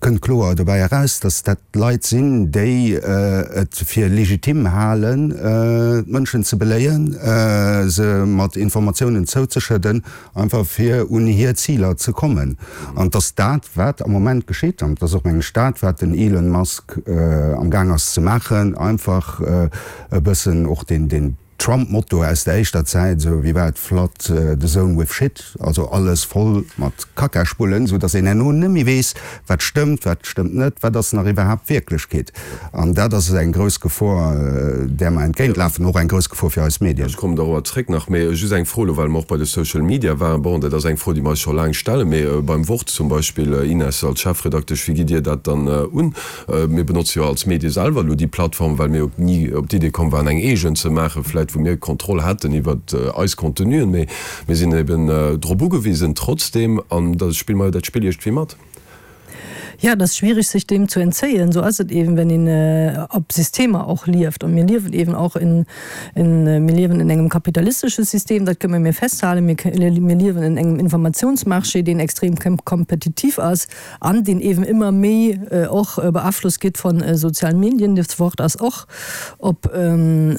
kënnt kloer dobäi eraus, datt dat Leit sinn, déi et fir legitim halen, d'Mënschen ze beléien, se mat Informatiounen zouzeschëdden, einfach fir un hir Ziler ze kommen. An et ass dat, wat am Moment geschitt, an et ass och, meng ech, dat, wat den Elon Musk amgaang ass ze maachen, einfach e bëssen och deen Trump-Motto aus der éischter Zäit, esou wéi war et, Flood the zone with shit, also alles voll mat Kackaspullen, esou datt een herno net méi weess, wat stëmmt, wat stëmmt net, wat ass nach iwwerhaapt Wierklechkeet. An dat ass eng grouss Gefor, där mer entgéintlafen, och eng grouss Gefor fir eis Medien. Ech kommen dorobber zréck nach, mee just eng Fro elo, well mer och bei de Social Media waren. Bon, dat ass eng Fro, déi mer eis scho laang stellen, mee beim Wort zum Beispill, Ines, als Chefredaktesch, wéi gitt Dir dat dann un? Mir benotze jo als Medie selwer elo déi Plattform, well mir jo ni op d'Idee komm waren, eng eegen ze maachen, vläit wou mir Kontroll hätten iwwer eis Contenuen. Mee mir sinn eben drop ugewisen trotzdeem, an da spille mer jo dat Spill iergendwéi mat. Ja, et ass schwierig, sech deem zu entzéien. Sou ass et eben, wenn een op Systemer och lieft. Und mir liewen eben auch in, in, mir liewen in engem kapitalistesche System, dat kënne mir festhalen. Mir, mir liewen in engem Informationsmarché, deen extrem kompetitiv ass. An deen eeben ëmmer méi och beaflosst gétt von sozialen Medien. Das Wort ass och op,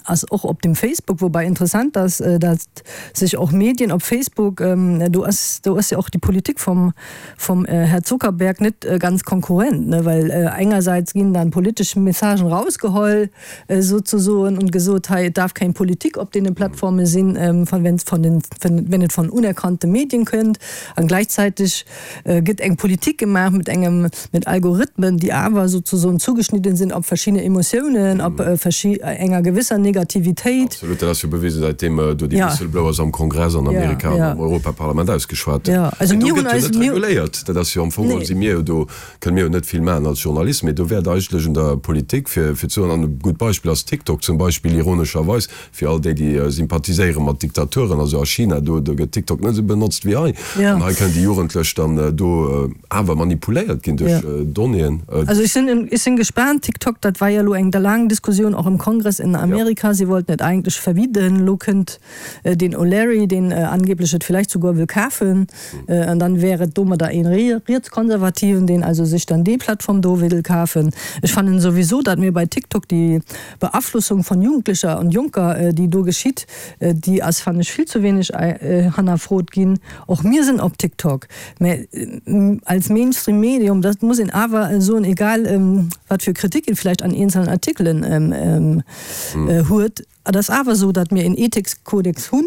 ass och op dem Facebook, wobei interessant ass, datt sech och Medien op Facebook, do ass, do ass jo och déi Politik vom, vom Här Zuckerberg net ganz konkurrent, ne, well engerseits ginn dann politesch Messagen rausgeholl sozusoen und gesot, hei, et darf keng Politik op deene Plattforme sinn, wenn es von den, wenn et von unerkannte Medien kënnt, an gleichzeitig gëtt eng Politik gemaach mat engem, mat Algorithmen, déi awer sozusoen zugeschnidden sinn op verschidde Emotiounen, op verschi enger gewësser Negativitéit. Absolut, dat ass jo bewisen, säitdeem do déi Whistleblowers am Kongress an Amerika an am Europaparlament ausgeschwat hunn. Mee do gëtt jo net reguléiert. Dat ass jo am Fong geholl, si mir jo do, kënne mir jo net vill maachen als Journalisten, mee do wäert eigentlech un der Politik fir ze soen, an e gutt Beispill ass TikTok zum Beispill, ironescherweis, Fir all déi, déi sympathiséiere mat Diktaturen, also a China, do gëtt TikTok net esou benotzt wéi hei. An hei kënnen déi Jugendlech dann do awer manipuléiert ginn duerch Donnéeën. Also ech sinn, ech sinn gespaant. TikTok, dat war jo elo eng laang Diskussioun och im Kongress in Amerika. Si wollten et eigentlech verbieden. Elo kënnt deen O'Leary, deen angeblech et vielleicht sogar wëll kafen. An dann wär et domadder een Rietskonservativen, deen also. sech dann déi Plattform do wéll kafen. Ech fannen souwisou, datt mir bei TikTok déi Beaflossung von Jugendlicher und Junker, déi do geschitt, déi ass, fannen ech, vill ze wéineg hannerfrot ginn. Och mir sinn op TikTok, mä als Mainstream-Medium, dat muss een awer soen, egal wat fir Kritik een vläicht an eenzelnen Artikelen huet, Et ass awer esou, datt mir een Ethikskodex hunn,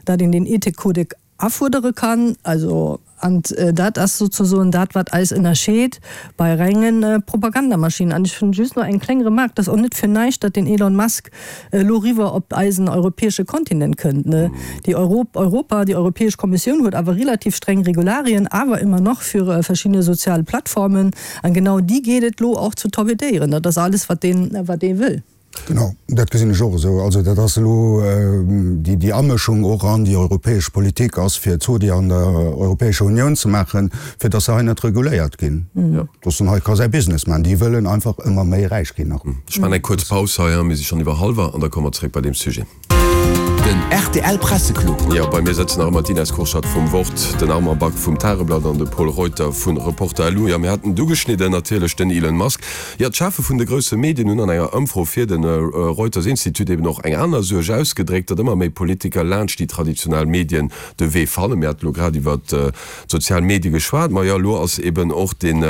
datt een deen Ethikkodex afuerdere kann. Also, an dat ass souzesoen dat, wat eis ënnerscheet bei rengen Propagandamaschinen. An ech hunn just nach eng kleng Remarque, Et ass och net fir näischt, datt den Elon Musk elo eriwwer op eisen europäesche Kontinent kënnt. Déi Europa, déi Europäesch Kommissioun huet awer relativ streng Regularien, awer ëmmer nach fir verschidde sozial Plattformen. An genau déi geet et elo och ze torpedéieren. Dat ass alles, wat deen, wat dee wëll. Genau, dat gesinn ech och esou. Also dat ass elo déi Amëschung och an déi europäesch Politik ass, fir Zodi an der Europäescher Unioun ze maachen, fir datt se hei net reguléiert ginn, datt en hei ka säi Business maachen. Déi wëllen einfach ëmmer méi räich ginn nach. Ech maachen eng kuerz Paus hei, mir si schonn iwwer hallwer an da komme mer zeréck bei deem Sujet. Den rtl Presseclub. Jo, bei mir sëtzen nach ëmmer d'Ines Kurschat vum Wort, den Armand Back vum Tageblatt an de Pol Reuter vu Reporter lu. Jo, mir haten et ugeschnidden, natierlech den Elon Musk. Jo, d'Chefe vun de grousse Medien hunn an enger Ëmfro fir de Reuters Institut eben och eng aner Suerg ausgedréckt, datt ëmmer méi Politiker laanscht déi traditionell Medien de Wee fannen. Mir hate lo grad iwwer d'sozial Medie geschwat, ma jo, elo ass eben och den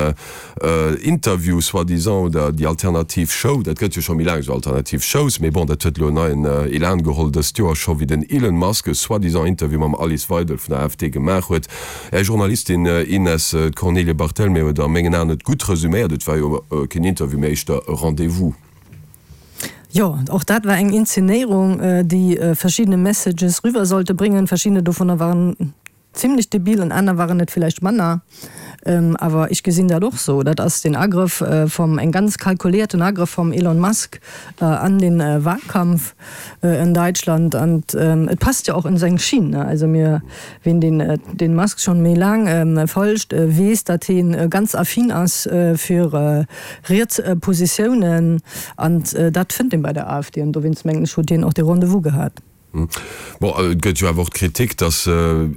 Interview soi-disant oder déi alternativ Show, dat gëtt jo scho méi laang esou alternativ Shows, mee bon, dat huet elo en neien Elan geholl dëst Joer scho wéi den Elon Musk e soi-disant Interview mam Alice Weidel vun der AfD gemaach huet. Är Journalistin Ines, d'Cornelie Barthelmé huet a mengen Aen et gutt resuméiert, et war jo keen Interview, mee éischter e Rendez-vous. Jo, och dat war eng Inzenéierung, déi verschiddene Messages riwwer sollte bréngen. Verschiddene dovunner waren Zimlech debil an aner waren et villäicht manner, awer ech gesinn dat och sou. Dat ass den Agrëff vum, eng ganz kalkuléierten Agrëff vum Elon Musk an den Wahlkampf en Deutschland an et passt jo och en seng Schinn. Also mir, ween den den Musk schon méi laang folgt, weess dat heen ganz affin ass fir riets Positiounen an dat fënnt een bei der AfD an dowéinst mengen ech huet hien och dee Rendez-vous gehat. Bon, et gëtt jo awer och d'Kritik, datt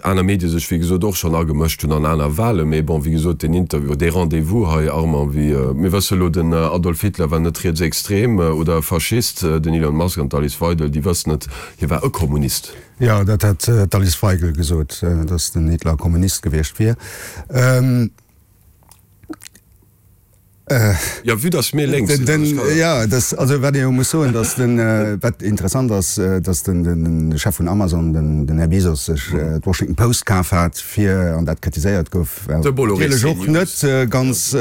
aner Medie sech wéi gesot och schonn agemëscht hunn an aner Wahlen. Mee bon, wéi gesot, deen Interview, dee Rendez-vous hei, Armand, wéi mir wësse elo, den Adolf Hitler war net rietsextrem oder e Faschist, den Elon Musk an d'Alice Weidel, déi wëssen et, hie war e Kommunist. Jo, dat hat d'Alice Weigel gesot, datt den Hitler Kommunist gewiescht wier. Jo, vue dass mir lénks sinn, also ech kann. Jo, dass, also wat ee jo muss soen, dass den, wat interessant ass, dass den, den Chef vun Amazon, den, den Här Bezos, sech d'Washington Post kaf hat, fir, an dat kritiséiert gouf, De Bolloré natierlech och net ganz,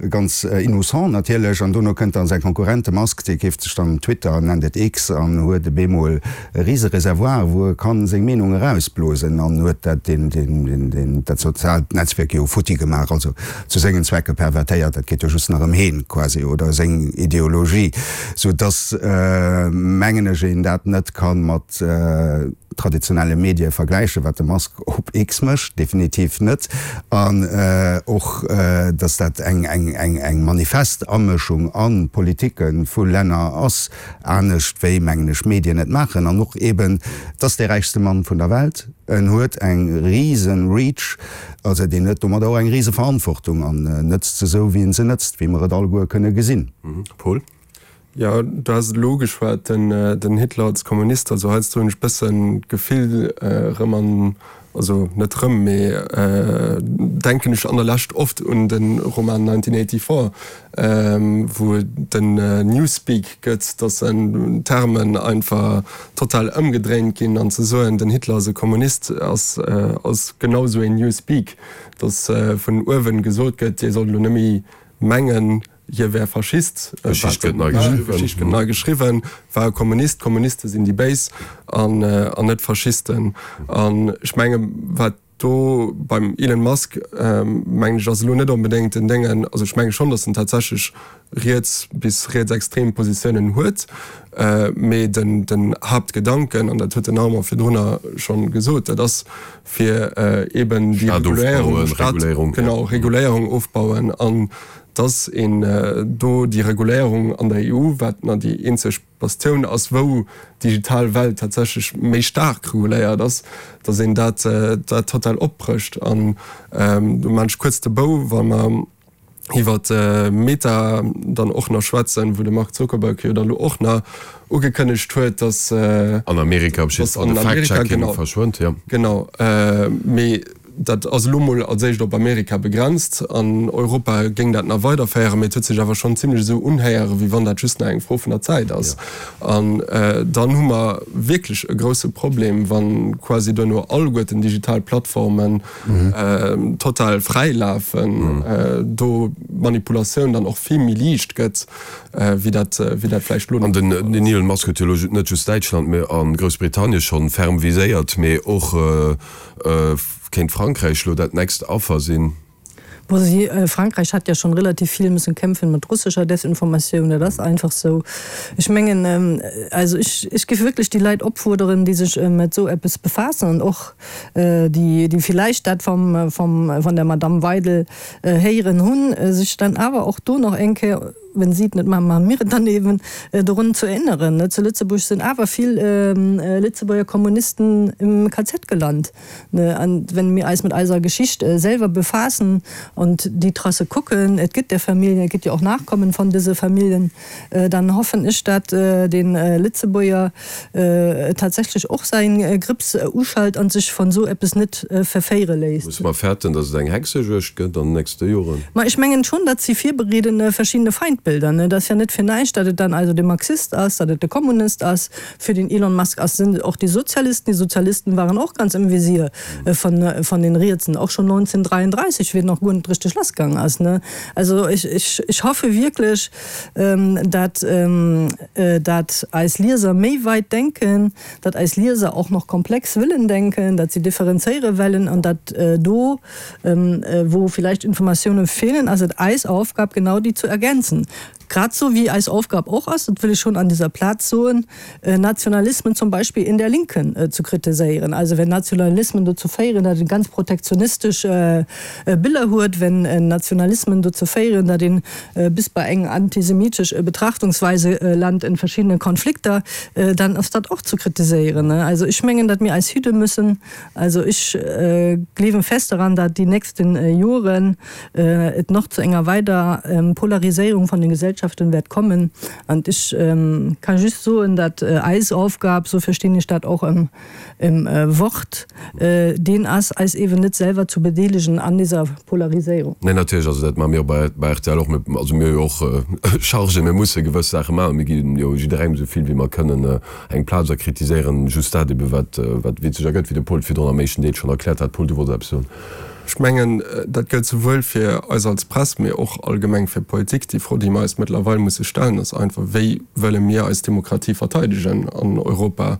ganz innocent natierlech. An dono kënnt dann säi Konkurrent, de Musk, dee keeft sech dann Twitter, nennt et X, an huet e bemol e rise Reservoir, wou e kann seng Meenung erausblosen, an huet dat, deen, deen, deen, deen, dat soziaalt Netzwierk jo futti gemaach. Also zu sengen Zwecke pervertéiert, dat geet jo just nach ëm heen quasi oder seng Ideologie, sou dass, mengen ech, een dat net ka mat traditionelle Medie vergläichen, wat de Musk op X mécht, definitiv net, an och dass dat eng eng manifest Amëschung a Politike vu Länner ass, anescht wéi, mengen ech, Medien et maachen, an och eben, et ass dee räichste Mann vun der Welt, en huet eng risen Reach, Also deen huet domadder och eng rise Verantwortung an nëtzt se esou wéi en se nëtzt, wéi mer et alleguer kënne gesinn. Paul? Jo, du has et elo ugeschwat, den Hitler als Kommunist. Also heiansdo hunn ech bëssen d'Gefill erëm an, also net erëm, mee denken ech an der Lescht oft un de Roman 1984, wou et den Newspeak gëtt, dass en Termen einfach total ëmgedréint ginn an ze soen, den Hitler ass e Kommunist, ass ass genau esou een Newspeak, dass vun uewen gesot gëtt, dir sollt elo net méi mengen, hie wär Faschist, D'Geschicht gëtt nei geschriwwen. D'Geschicht gëtt nei geschriwwen, war e Kommunist, Kommuniste sinn déi Béis an net Faschisten. An ech menge wat Do beim Elon Musk, mengen ech, ass elo net onbedéngt den Déngen, also ech menge schonn, datt en tatsächlech riets bis rietsextrem Positiounen huet, mee den den Haaptgedanken, an dat huet den Armand virdrunner schonn gesot, dat ass fir eben déi Reguléierung, Staat, genau, Reguléierung ofbauen an datt een do déi Reguléierung an der EU, wat na déi eenzeg Bastioun ass, wou d'digital Welt tatsächlech méi staark reguléiert ass, datt een dat dat total opbrécht. An do maan ech kuerz de Bou, wa mer. Iwwer Meta dann och nach schwätzen, wou de Mark Zuckerberg jo da lo och nach ugekënnegt huet, datt. An Amerika op jidde Fall de Fact-Checking verschwënnt, jo. Genau, mee dat ass elo mol als éischt op Amerika begrenzt. An Europa géing dat nach weiderféieren, mee et huet sech awer schonn zimlech esou unhéieren, wéi wann dat just nach eng Fro vun der Zäit ass. An dann hu mer wierklech e grousse Problem, wa quasi duerno alleguerten digital Plattformen, total fräi lafen, do d'Manipulatioun dann och vill méi liicht gëtt, wéi dat, wéi dat vläicht elo. An den Elon Musk huet jo elo net just Däitschland, mee a Groussbritannien schonn ferm viséiert, mee och kéint Frankräich elo dat nächst Affer sinn. Bon, si, Frankräich hat ja schon relativ viel müssen kämpfen mat russescher Desinformatioun, dat ass einfach sou. Ech mengen, also ech, ech géif wierklech déi Leit opfuerderen, déi sech mat esou eppes befaassen an och déi, déi villäicht dat vom, vom, von der Madamm Weidel héieren hunn, sech dann awer och do nach eng Kéier, wenn si et net maachen, maache mir et dann eben, dorun ze erinneren. Zu Lëtzebuerg sinn awer vill Lëtzebuerger Kommunisten im KZ gelant. An wenn mir eis mat eiser Geschicht selwer befaassen und déi Trasse kucken, et gëtt der Familljen, et gëtt jo och Nachkommen von dëse Familljen, dann hoffen ech, dat den Lëtzebuerger tatsächlech och säin Grips uschalt an sech von sou eppes net verféiere léisst. Musse mer fäerten, datt et eng Hexejuegd gëtt an den nächste Joren? Ma ech mengen schonn, datt si virbereeden verschiddene Feindbilder. Et ass jo net fir näischt, datt et dann also de Marxist ass, datt et de Kommunist ass. Fir den Elon Musk ass sinn och déi Sozialisten. Déi Sozialisten waren och ganz im Visier von von den Rietsen, och schonn 1933, wéi et nach guer net richteg lassgaang ass, ne. Also ech ech ech hoffe wierklech, dat dat eis Lieser méi weit denken, dat eis Lieser och noch komplex wëllen denken, dat si differenzéiere wellen an dat do, wou vielleicht Informatiounen feelen, ass et eis Aufgab, genau déi zu ergänzen. Grad sou wéi eis Aufgab och ass, dat wëll ech schonn an dieser Plaz soen, Nationalismen zum Beispill in der Linken zu kritiséieren. Also wenn Nationalismen dozou féieren, datt een ganz protektionistesch Biller huet, wenn Nationalismen dozou féieren, datt een bis bei eng antisemitesch Betrachtungsweise lant in verschiedene Konflikter, dann ass dat och zu kritiséieren. Also ech mengen, datt mir eis hüte müssen. Also ech gleewen fest daran, datt déi nächsten Joren et nach zu enger weider Polariséierung von den Gesellschaften wäert kommen. An ech ka just soen, datt eis Aufgab, sou verstinn ech dat och im Wort, deen ass, eis eeben net selwer zu bedeelegen an dieser Polariséierung. Nee, natierlech, also dat maache mir jo bei rtl och. Mir, also mir hu jo och Chargen, mir musse gewëss Saache maachen. Mir gi jo jidderengem esou vill wéi mer kënnen eng Plaz a kritiséieren just dat ebe wat, wat witzeg ergëtt, wéi de Paul et virdrun am éischten Deel schonn erkläert hat. Paul, du wollts eppes soen. Ech mengen, dat gëllt souwuel fir eis als Press, mee och allgemeng fir d'Politik. Déi Fro, déi mer eis mëttlerweil musse stellen, ass einfach, Wéi wëlle mir eis Demokratie verteidegen an Europa?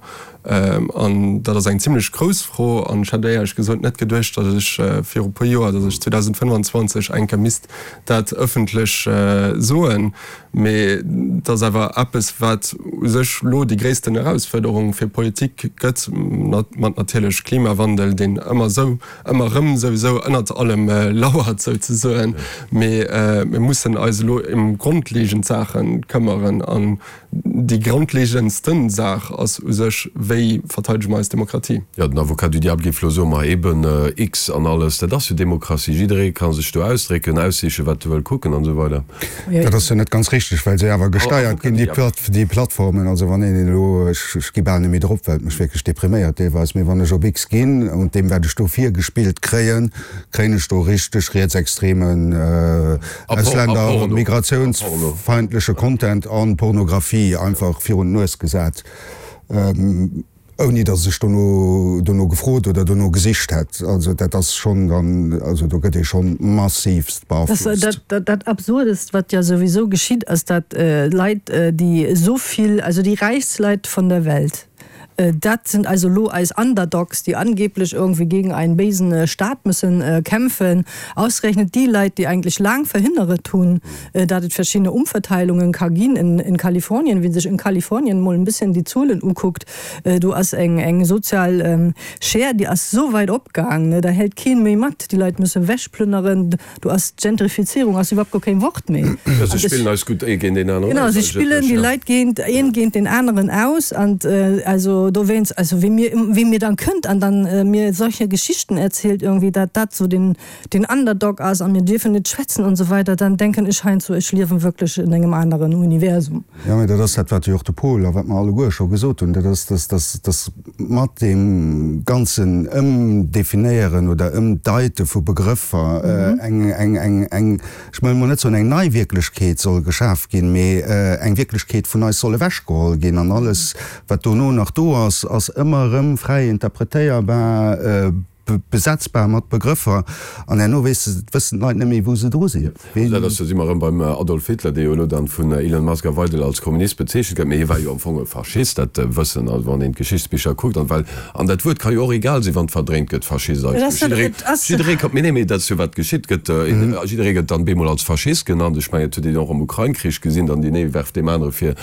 An dat ass eng zimlech grouss Fro. An ech hätt éierlech gesot net geduecht, datt ech viru puer Joer, datt ech 2025 eng Kéier misst dat ëffentlech soen. Mee et ass awer eppes, wat u sech elo déi gréissten Erausfuerderung fir d'Politik gëtt, mat natierlech Klimawandel, deen ëmmer esou ëmmer erëm souwisou ënnert allem lauert souzesoen, mee mir mussen eis elo ëm grondlegend Saache këmmeren an déi grondlegendsten Saach ass u sech, wéi verteidege mer eis Demokratie? Jo, den Avocat du diable géif elo soen, ma eben X an alles, dat ass jo Demokratie, jidderee ka sech do ausdrécken, aussichen, wat e wëll kucken an esou weider. Dat ass jo net ganz richteg, well se awer gesteiert ginn, déi Plattformen. Also wann een elo, ech gi bal net méi drop, well et mech wierklech depriméiert deelweis, mee wann ech op X ginn und deem wat ech do virgespillt kréien, kréien ech do richteg rietsextremen, Ausländer-, migratiounsfeindleche Content an Pornografie einfach virun d'Nues gesat. Ouni datt ech dono dono gefrot oder dono gesicht hätt. Also dat ass schonn dann, also do gëtt ee schonn massivst beaflosst. Dat dat Absurdest, wat jo souwisou geschitt, ass dat Leit, déi esou vill, also déi räichst Leit von der Welt, dat sind also elo eis Underdogs, déi angeblech irgendwie gegen einen béisen Staat müssen kämpfen, ausgerechnet déi Leit, déi eigentlech laang verhënneret hunn, dat et verschiddene Umverteilungen ka ginn in Kalifornien, wien sech in Kalifornien mol en bisschen déi Zuelen ukuckt, do ass eng eng sozial Schere, déi ass esou weit opgaang, ne, da hält keen méi mat, déi Leit musse wechplünneren, do ass d'Gentrifizierung ass iwwerhaupt guer keen Wort méi. Jo, se spillen eis gutt ee géint deen aneren aus. Genau, se spillen déi Leit géint een géint deen aneren aus an also. Also dowéinst, also wie mir, wie mir dann kënnt an dann mir solche Geschichten erzielt irgendwie, dat dat sou den, den Underdog ass a mir dierfen net schwätzen und so weiter, dann denken ech heiansdo, ech liewen wierklech in engem aneren Universum. Jo, mä dat ass dat, wat jo och de Paul a wat mer alleguer scho gesot hunn, dat ass, dass, dass, dass mat deem ganzen Ëmdefinéieren oder Ëmdeite vu Begrëffer eng, eng, eng, eng, ech wëll emol net soen eng nei Wierklechkeet soll geschaf ginn, mee eng Wierklechkeet vun eis soll ewechgeholl ginn an alles, wat dono nach do ass, ass ëmmer erëm fräi interpretéierbar, besetzbar mat Begrëffer an herno weess de, wëssen d'Leit net méi, wou se dru sinn. Dat ass, do si mer erëm beim Adolf Hitler, dee jo elo dann vun Elon Musk a Weidel als Kommunist bezeechent gëtt, mee hie war jo am Fong e Faschist, dat wëssen, also wann een d'Geschichtsbicher kuckt, an well, an dat Wuert ka jo och egal sinn, wann et verdréint gëtt, Faschist eigentlech, jidderee, jidderee ka, mee nee, mee dat ass jo wat geschitt, gëtt, jidderee gëtt dann bemol als Faschist genannt, ech mengen, dat huet een och am Ukrain-Krich gesinn, dann deen ee werft deem anere vir,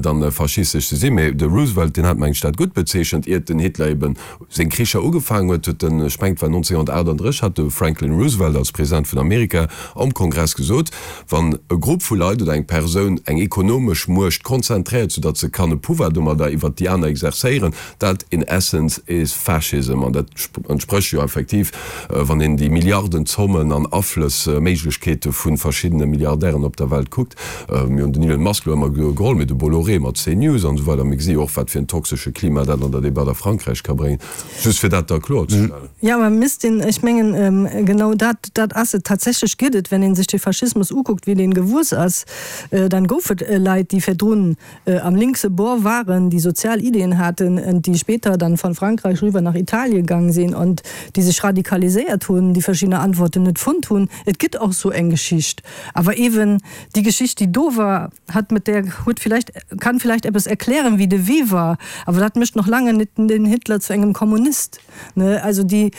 dann faschistesch ze sinn, mee de Roosevelt, deen hat, meng ech, dat gutt bezeechent, iert den Hitler eben seng Kricher ugefaangen huet, huet en, ech mengen et war 1938, hat de Franklin Roosevelt als President vun Amerika am Kongress gesot, wann e Grupp vu Leit oder eng Persoun eng ekonomesch Muecht konzentréiert, soudatt se kann e Pouvoir domadder iwwert déi aner exerzéieren, dat in essence is fascism. An dat entsprécht jo effektiv, wann een déi Milliardenzommen an Aflëssméiglechkeete vu verschiddene Milliardären op der Welt kuckt. Mir hunn den Elon Musk elo ëmmer geholl, mee de Bolloré mat CNews an esou weider. Mir gesi jo och, wat fir en toxesche Klima dat an der Debatt a Frankräich ka bréngen. Just fir dat da kloerzestellen. Jo, mä misst een, ech mengen, genau dat, dat ass et. Tatsächlech gëtt et, wenn ee sech de Faschismus ukuckt, wéi deen gewuess ass, dann gouf et Leit, déi virdrun am linkse Bord waren, déi sozial Ideen haten und déi später dann von Frankreich rüber nach Italien gang sinn und déi sech radikaliséiert hunn, déi verschiddener Antworten net fonnt hunn. Et gëtt och sou eng Geschicht. Awer ewen déi Geschicht, déi do war, hat mit der, huet vielleicht, kann vielleicht eppes erklären, wéi de Wee war, awer dat mécht noch lange net den Hitler zu engem Kommunist, ne? Also déi,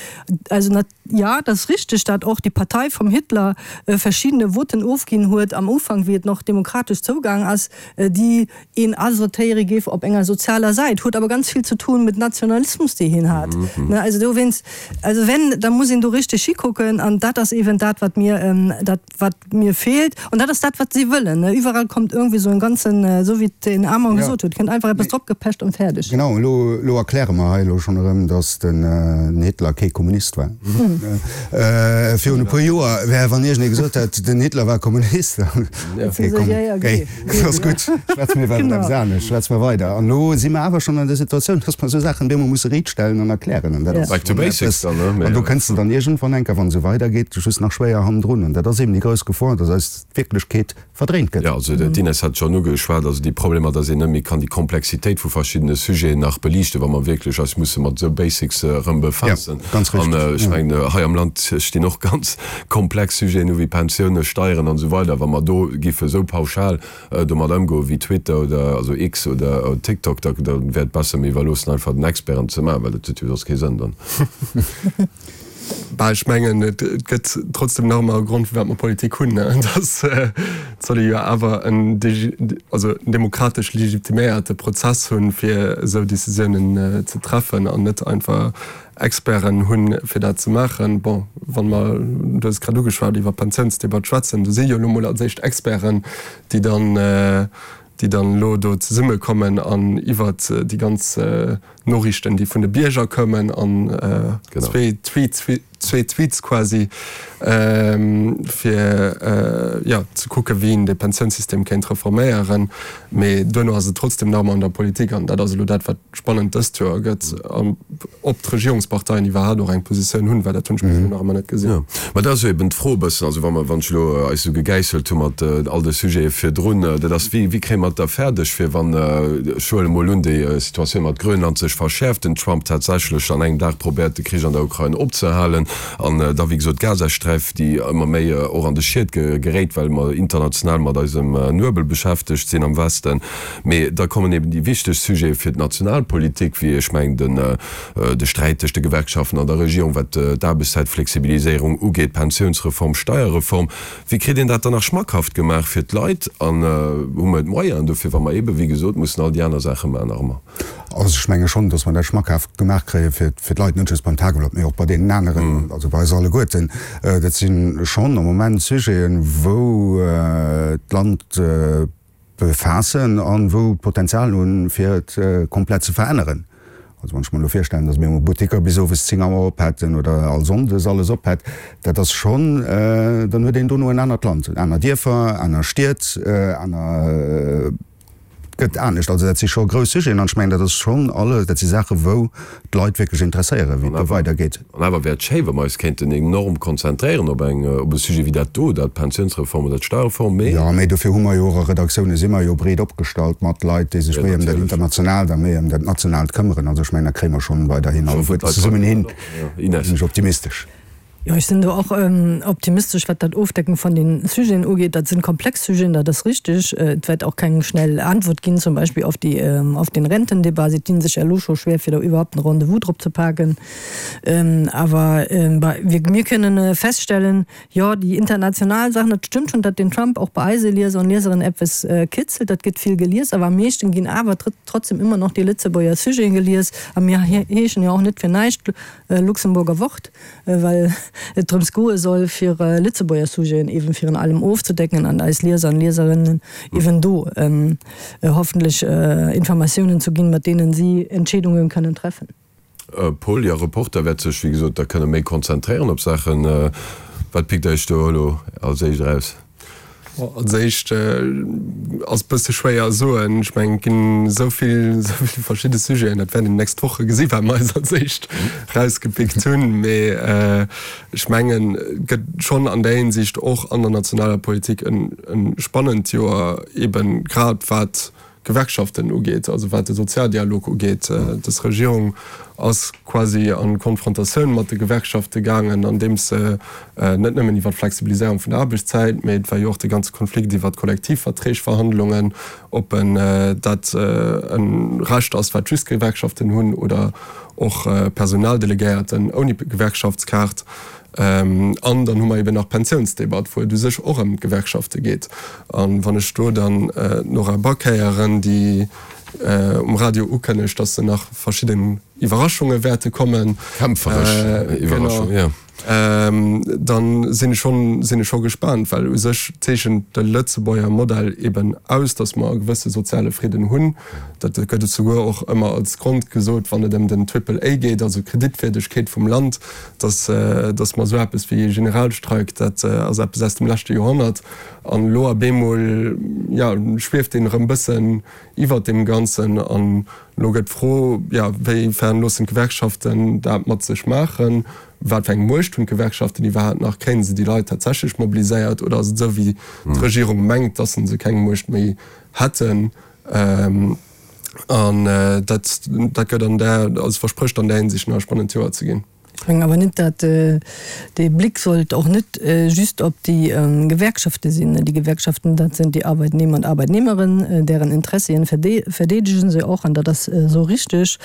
also nat, ja, dat ass richteg, dat och déi Partei vum Hitler verschiedene Voten ofginn huet am Ufank, wéi et noch demokratesch zougaang ass, déi een asortéiere géif op enger sozialer Säit, huet awer ganz vill ze tun mit Nationalismus, dee hien hat. Ne, also dowéinst, also wenn, da muss een do richteg hikucken an dat ass eeben dat, wat mir, dat wat mir feelt an dat ass dat, wat si wëllen. Ne, iwwerall kommt irgendwie esou en ganzen, esou wéi et den Armand gesot huet, kënnt einfach eppes dropgepecht an fäerdeg. Genau, elo, elo erkläre mer hei elo schonn erëm, datt den Hitler kee Kommunist war. Virun e puer Joer wär, wann iergendee gesot hätt, den Hitler war Kommunist, dann, okay, komm, géi. Ass gutt, schwätze mir iwwer eppes anescht, schwätze mer weider. An elo si mer awer schonn an der Situatioun, dass mer esou Saachen bemol musse riitstellen an erklären. An dat ass Back to basics dann, ne? An do kënns de dann iergendwann eng Kéier, wann et esou weidergeet, just nach schwéier hannendrun. An dat ass eben déi grouss Gefor, dass eis d'Wierklechkeet verdréint gëtt. Jo, also d'Inès hat et schonn ugeschwat, also déi Problemer, dass een net méi kann déi Komplexitéit vu verschiddene Sujeten nach beliichten, wa mer wierklech eis musse mat esou Basics erëm befaassen. Jo, ganz richtig. An ech mengen, hei am Land stinn och ganz komplex Sujeten u wéi Pensiounen, Steieren an esou weider, wa mer do giffe esou pauschal domat ëmgoen wéi Twitter oder also X oder TikTok, da da wär et besser mir iwwerloossen einfach den Experten ze maachen, well dat huet jo soss kee Sënn dann. Bah, ech mengen et gëtt trotzdem nach ëmmer e Grond firwat mer Politik hunn, ne, dass et soll ee jo awer en also en demokratesch legitiméierte Prozess hunn, fir esou Décisiounen ze treffen an net einfach Experten hunn, fir dat ze maachen. Bon, wa mer, du hues et grad ugeschwat, iwwer d'Pensiounsdebatt schwätzen, do si jo elo mol als éischt Experten, déi dann, déi dann elo do zesummekommen an iwwert déi ganz Noriichten, déi vun de Bierger kommen an zwee Tweets, zwee Tweets quasi, fir, jo, ze kucken, wéi een de Pensiounssystem kéint reforméieren. Mee duerno ass et trotzdem nach ëmmer an der Politik an dat ass elo dat, wat spannend dëst Joer gëtt, ob d'Regierungsparteien iwwerhaapt och eng Positioun hunn, well dat hunn ech bis elo nach ëmmer net gesinn. Jo, mä dat ass jo eben d'Fro e bëssen, also wa mer, wann ech elo eis esou gegäisselt hu mat all de Sujete virdrun, dat ass, wéi, wéi kréie mer et da fäerdeg, fir wann, ech huele mol un, déi Situatioun mat Grönland sech verschäerft, den Trump tatsächlech an engem Dag probéiert, de Krich an der Ukrain opzehalen an da, wéi gesot, d'Gazasträif, déi ëmmer méi och an de Schiet geréit, well mer international mat eisem Nuebel beschäftegt sinn am Westen. Mee da kommen eben déi wichteg Sujete fir d'Nationalpolitik, wéi ech mengen den de Sträit tëscht de Gewerkschaften an der Regierung, wat d'Aarbechtszäitflexibiliséierung ugeet, Pensiounsreform, Steierreform. Wéi kritt een dat dann nach schmackhaft gemaach fir d'Leit? An hu mer d'Moyenen dofir, wa mer eben, wéi gesot, mussen all déi aner Saache maachen nach ëmmer? Also ech menge schonn, datt mer dat schmackhaft gemaach kréie fir d'Leit, net just beim Tageblatt, mee och bei deenen aneren, also bei eis alleguerten. Dat si schonn am Moment Sujeten, wou d'Land, befaassen an wou d'Potenzial hunn, fir et komplett ze veränneren. Also wann ech mer elo virstellen, datt mir emol Butteker bis owes 10 Auer op hätten oder all Sonndes alles op hätt, dat ass schonn, dann huet een dono en anert Land, aner Dierfer, aner Stied, aner, gëtt anescht. Also dat si scho grouss Sujeten an ech mengen, dat ass schonn alles, dat si Saache wou d'Leit wierklech interesséieren, wéi et do weidergeet. An awer wär et schéi, wa mer eis kéinten enorm konzentréieren op eng, op e Sujet wéi dat do, dat d'Pensiounsreform oder d'Steuerreform, mee. Jo, mee dofir hu mer jo och a Redaktioune si mer jo breet opgestallt mat Leit, déi sech méi ëm dat Internationaalt a méi ëm dat Nationaalt këmmeren. Also ech mengen, dat kréie mer schonn weiderhin alleguerten zesummen hin. Do sinn ech optimistesch. Jo, ech sinn do och optimistesch, wat dat Ofdecken vun den Sujeten ugeet. Dat sinn komplex Sujeten, dat ass richtig. Et wäert och keng schnell Antwort ginn, zum Beispill auf déi, auf den Rentendebat. Si dinn sech elo scho schwer, fir do iwwerhaupt en Rendez-vous drop ze paken. Awer mir kënnen feststellen, jo, déi international Saachen, et stëmmt schonn, datt den Trump och bei eise Lieser und Lieserinnen eppes kitzelt, dat gëtt vill gelies, awer am meeschten ginn awer trotzdem ëmmer nach déi Lëtzebuerger Sujeten gelies. A mir heeschen jo och net fir näischt Luxemburger Wort, well et drëms goe soll, fir Lëtzebuerger Sujeten eeben virun allem ofzedecken an eis Lieser an Lieserinnen eeben do hoffentlech Informatiounen zu ginn, mat deenen si Entscheedungen kënnen treffen. Paul, Jo, Reporter wäert sech, wéi gesot, da kënne méi konzentréieren op Saachen. Wat pickt Iech do elo als éischt eraus? Als éischt ass bësse schwéier soen. Ech mengen, et ginn esou vill, esou vill verschidde Sujeten, dat wäert een déi nächst Woche gesi wat mer eis als éischt erausgepickt hunn. Mee ech mengen, et gëtt schonn an där Hinsicht och an der nationaler Politik e spannend Joer, eeben grad wat Gewerkschaften ugeet, also wat de Sozialdialog ugeet. Dës Regierung ass quasi a Konfrontatioun mat de Gewerkschafte gaangen, andeems se net nëmmen iwwer d'Flexibiliséierung vun der Aarbechtszäit, mee et war jo och de ganze Konflikt iwwer d'Kollektivverträgverhandlungen, ob dat e Recht ass, wat just Gewerkschaften hunn oder och Personaldelegéierten ouni Gewerkschaftskaart. An dann hu mer eben nach d'Pensiounsdebatt, wou et u sech och ëm d'Gewerkschafte geet. A wann ech do dann d'Nora Back héieren, déi um Radio ukënnegt, datt se nach verschidden Iwwerraschunge wäerte kommen, Kämpferesch Iwwerraschung, jo. Dann sinn ech schonn, sinn ech scho gespaant, well u sech zeechent de Lëtzebuerger Modell eben aus, datt mer e gewësse soziale Fridden hunn. Dat gëtt et souguer och ëmmer als Grond gesot, wann et ëm den Triple A geet, also d'Kreditwierdegkeet vum Land. Dass, dass mer esou eppes wéi ee Generalstreik, dat ass eppes aus dem leschte Joerhonnert. An elo op eemol, jo, schwieft een erëm bëssen iwwert deem Ganzen. An elo gëtt d'Fro, jo, wéi fern loossen d'Gewerkschaften dat mat sech maachen? Wat fir eng Muecht hunn d'Gewerkschaften iwwerhaapt nach? Kréie se déi Leit tatsächlech mobiliséiert oder ass et esou, wéi d'Regierung mengt, dass se keng Muecht méi hätten? An dat, dat gëtt an där, also versprécht an där Hinsicht nach e spannend Joer ze ginn. Ech mengen awer net, datt dee Blick sollt och net just op déi Gewerkschafte sinn. Déi Gewerkschaften, dat sinn déi Arbeitnehmer und Arbeitnehmerinnen, deren Interessien verdeedegen se och, an dat ass esou richtig.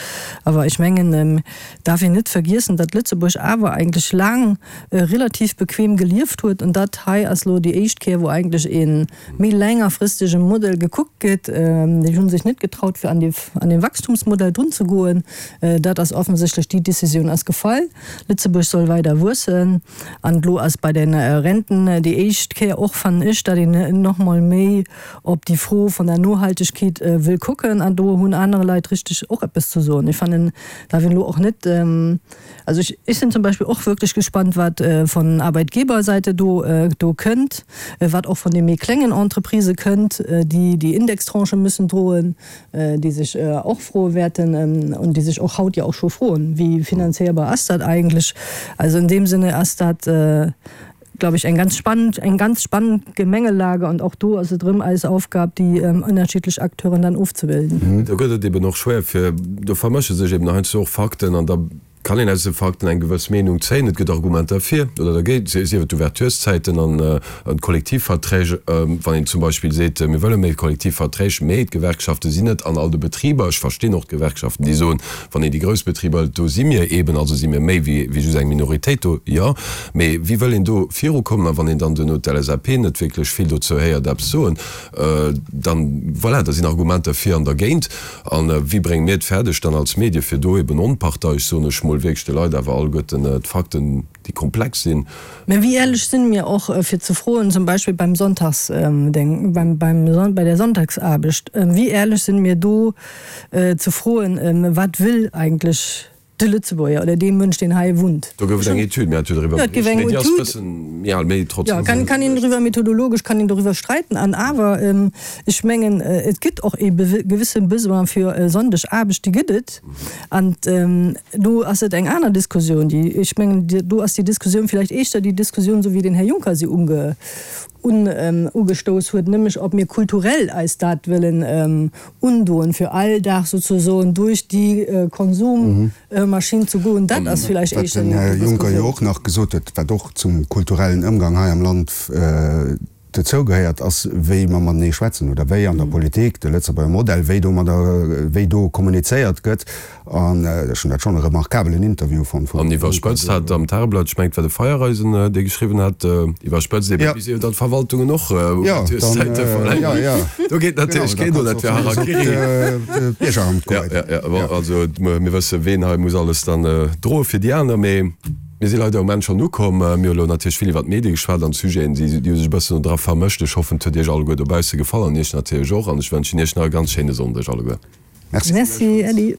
Awer ech mengen, et darf een net vergiessen, datt Lëtzebuerg awer eigentlech laang relativ bequem gelieft huet, an dat hei ass elo déi éischt Kéier, wou eigentlech ee méi längerfristege Modell gekuckt gëtt. Déi hu sech net getraut fir an dee Wachstumsmodell drun ze goen. Dat ass offensichtlech, déi Décisioun ass gefall. Lëtzebuerg soll weider wuessen. An elo ass bei de Renten déi éischt Kéier och, fannen ech, datt een nach mol méi op déi Fro vun der Nohaltegkeet wëll kucken. An do hunn aner Leit richteg och eppes ze soen. Ech fannen, darf een elo och net, Also ich, ich sinn zum Beispill och wierklech gespannt, wat von Arbeitgeberseite do, do kënnt, wat och von de méi klengen Entreprisë kënnt, déi déi Indextranchë müssen droen, déi sech och froe wäerten und déi sech och haut jo och scho froen, Wie finanzéierbar ass dat eigentlech? Also in deem Sinne ass dat, glaube ich, eng ganz spannend, eng ganz spannend Gemengelage und och do ass et erëm eis Aufgab, déi ënnerschiddlech Acteuren dann ofzebilden. Do gëtt et eben och schwéier fir, do vermësche sech eben heiansdo och Fakten an da kann een aus de Fakten eng gewëss Meenung zéien. Et gëtt Argumenter fir oder dergéint, sief et d'Ouvertureszäiten an d'Kollektivverträg. Wann een zum Beispill seet, mir wëlle méi Kollektivverträg, mee d'Gewerkschafte sinn net an all de Betriber. Ech verstinn och d'Gewerkschaften, déi soen, wann een déi grouss Betriber hëlt, do si mir eben, also si mir méi wéi just eng Minoritéit do, jo. Mee wéi wëll een do virukommen? A wann een dann duerno d'LSAP net wierklech vill dozou héiert eppes soen, dann, voilà, da sinn Argumenter fir an dergéint. A wéi brénge mir et fäerdeg dann als Medie fir do eben onparteisch, soen ech mol. mol wierklech de Leit awer alleguerten d'Fakten, déi komplex sinn. Mä wéi éierlech sinn mir och fir ze froen, zum Beispill beim Sonntags, beim, beim, bei der Sonntagsaarbecht, wéi éierlech sinn mir do ze froen, wat wëll eigentlech de Lëtzebuerger oder dee Mënsch, deen hei wunnt? Do gouf et eng Etüd, mir hate jo doriwwer bericht, mee déi ass e bëssen méi al, mee trotzdem. Jo, kann, kann een driwwer, methodologesch kann een doriwwer streiten. An awer, ech mengen, et gëtt och ee gewësse Besoin fir Sonndegaarbecht, déi gëtt et. An do ass et eng aner Diskussioun, déi, ech mengen, do ass déi Diskussioun vläicht éischter déi Diskussioun, esou wéi den Här Juncker se unge, un, ugestouss huet, nämlech ob mir kulturell eis dat wëllen undoen, fir all Dag souzesoen duerch déi Konsummaschinn ze goen. Dat ass vläicht éischter déi Diskussioun. Wat den Här Juncker jo och nach gesot huet, wat och zum kulturellen Ëmgang hei am Land dozou gehéiert, ass wéi mer matenee schwätzen oder wéi an der Politik, de Lëtzebuerger Modell, wéi domadder, wéi do kommunizéiert gëtt. An ech hunn dat schonn e remarkabelen Interview fonnt vum. An iwwerspëtzt hat am Tageblatt, ech mengen et war de Feiereisen, dee geschriwwen hat, iwwerspëtzt eben, wéi se jo dann d'Verwaltungen och Ouvertureszäite verlängeren. Do geet natierlech keen no, dat wär Harakiri. D'Biergeramt goen. Jo, jo, bon, also mir wësse ween hei muss alles dann droe fir déi aner, mee. Mir si leider um Enn schonn ukomm. Mir hu lo natierlech vill iwwer d'Medie geschwat an d'Sujeten, déi hu sech e bëssen dra vermëscht. Ech hoffen, et huet Iech alleguer dobausse gefall an Iech natierlech och. An ech wënschen Iech nach e ganz schéine Sonndeg alleguer. Merci. Merci, Äddi.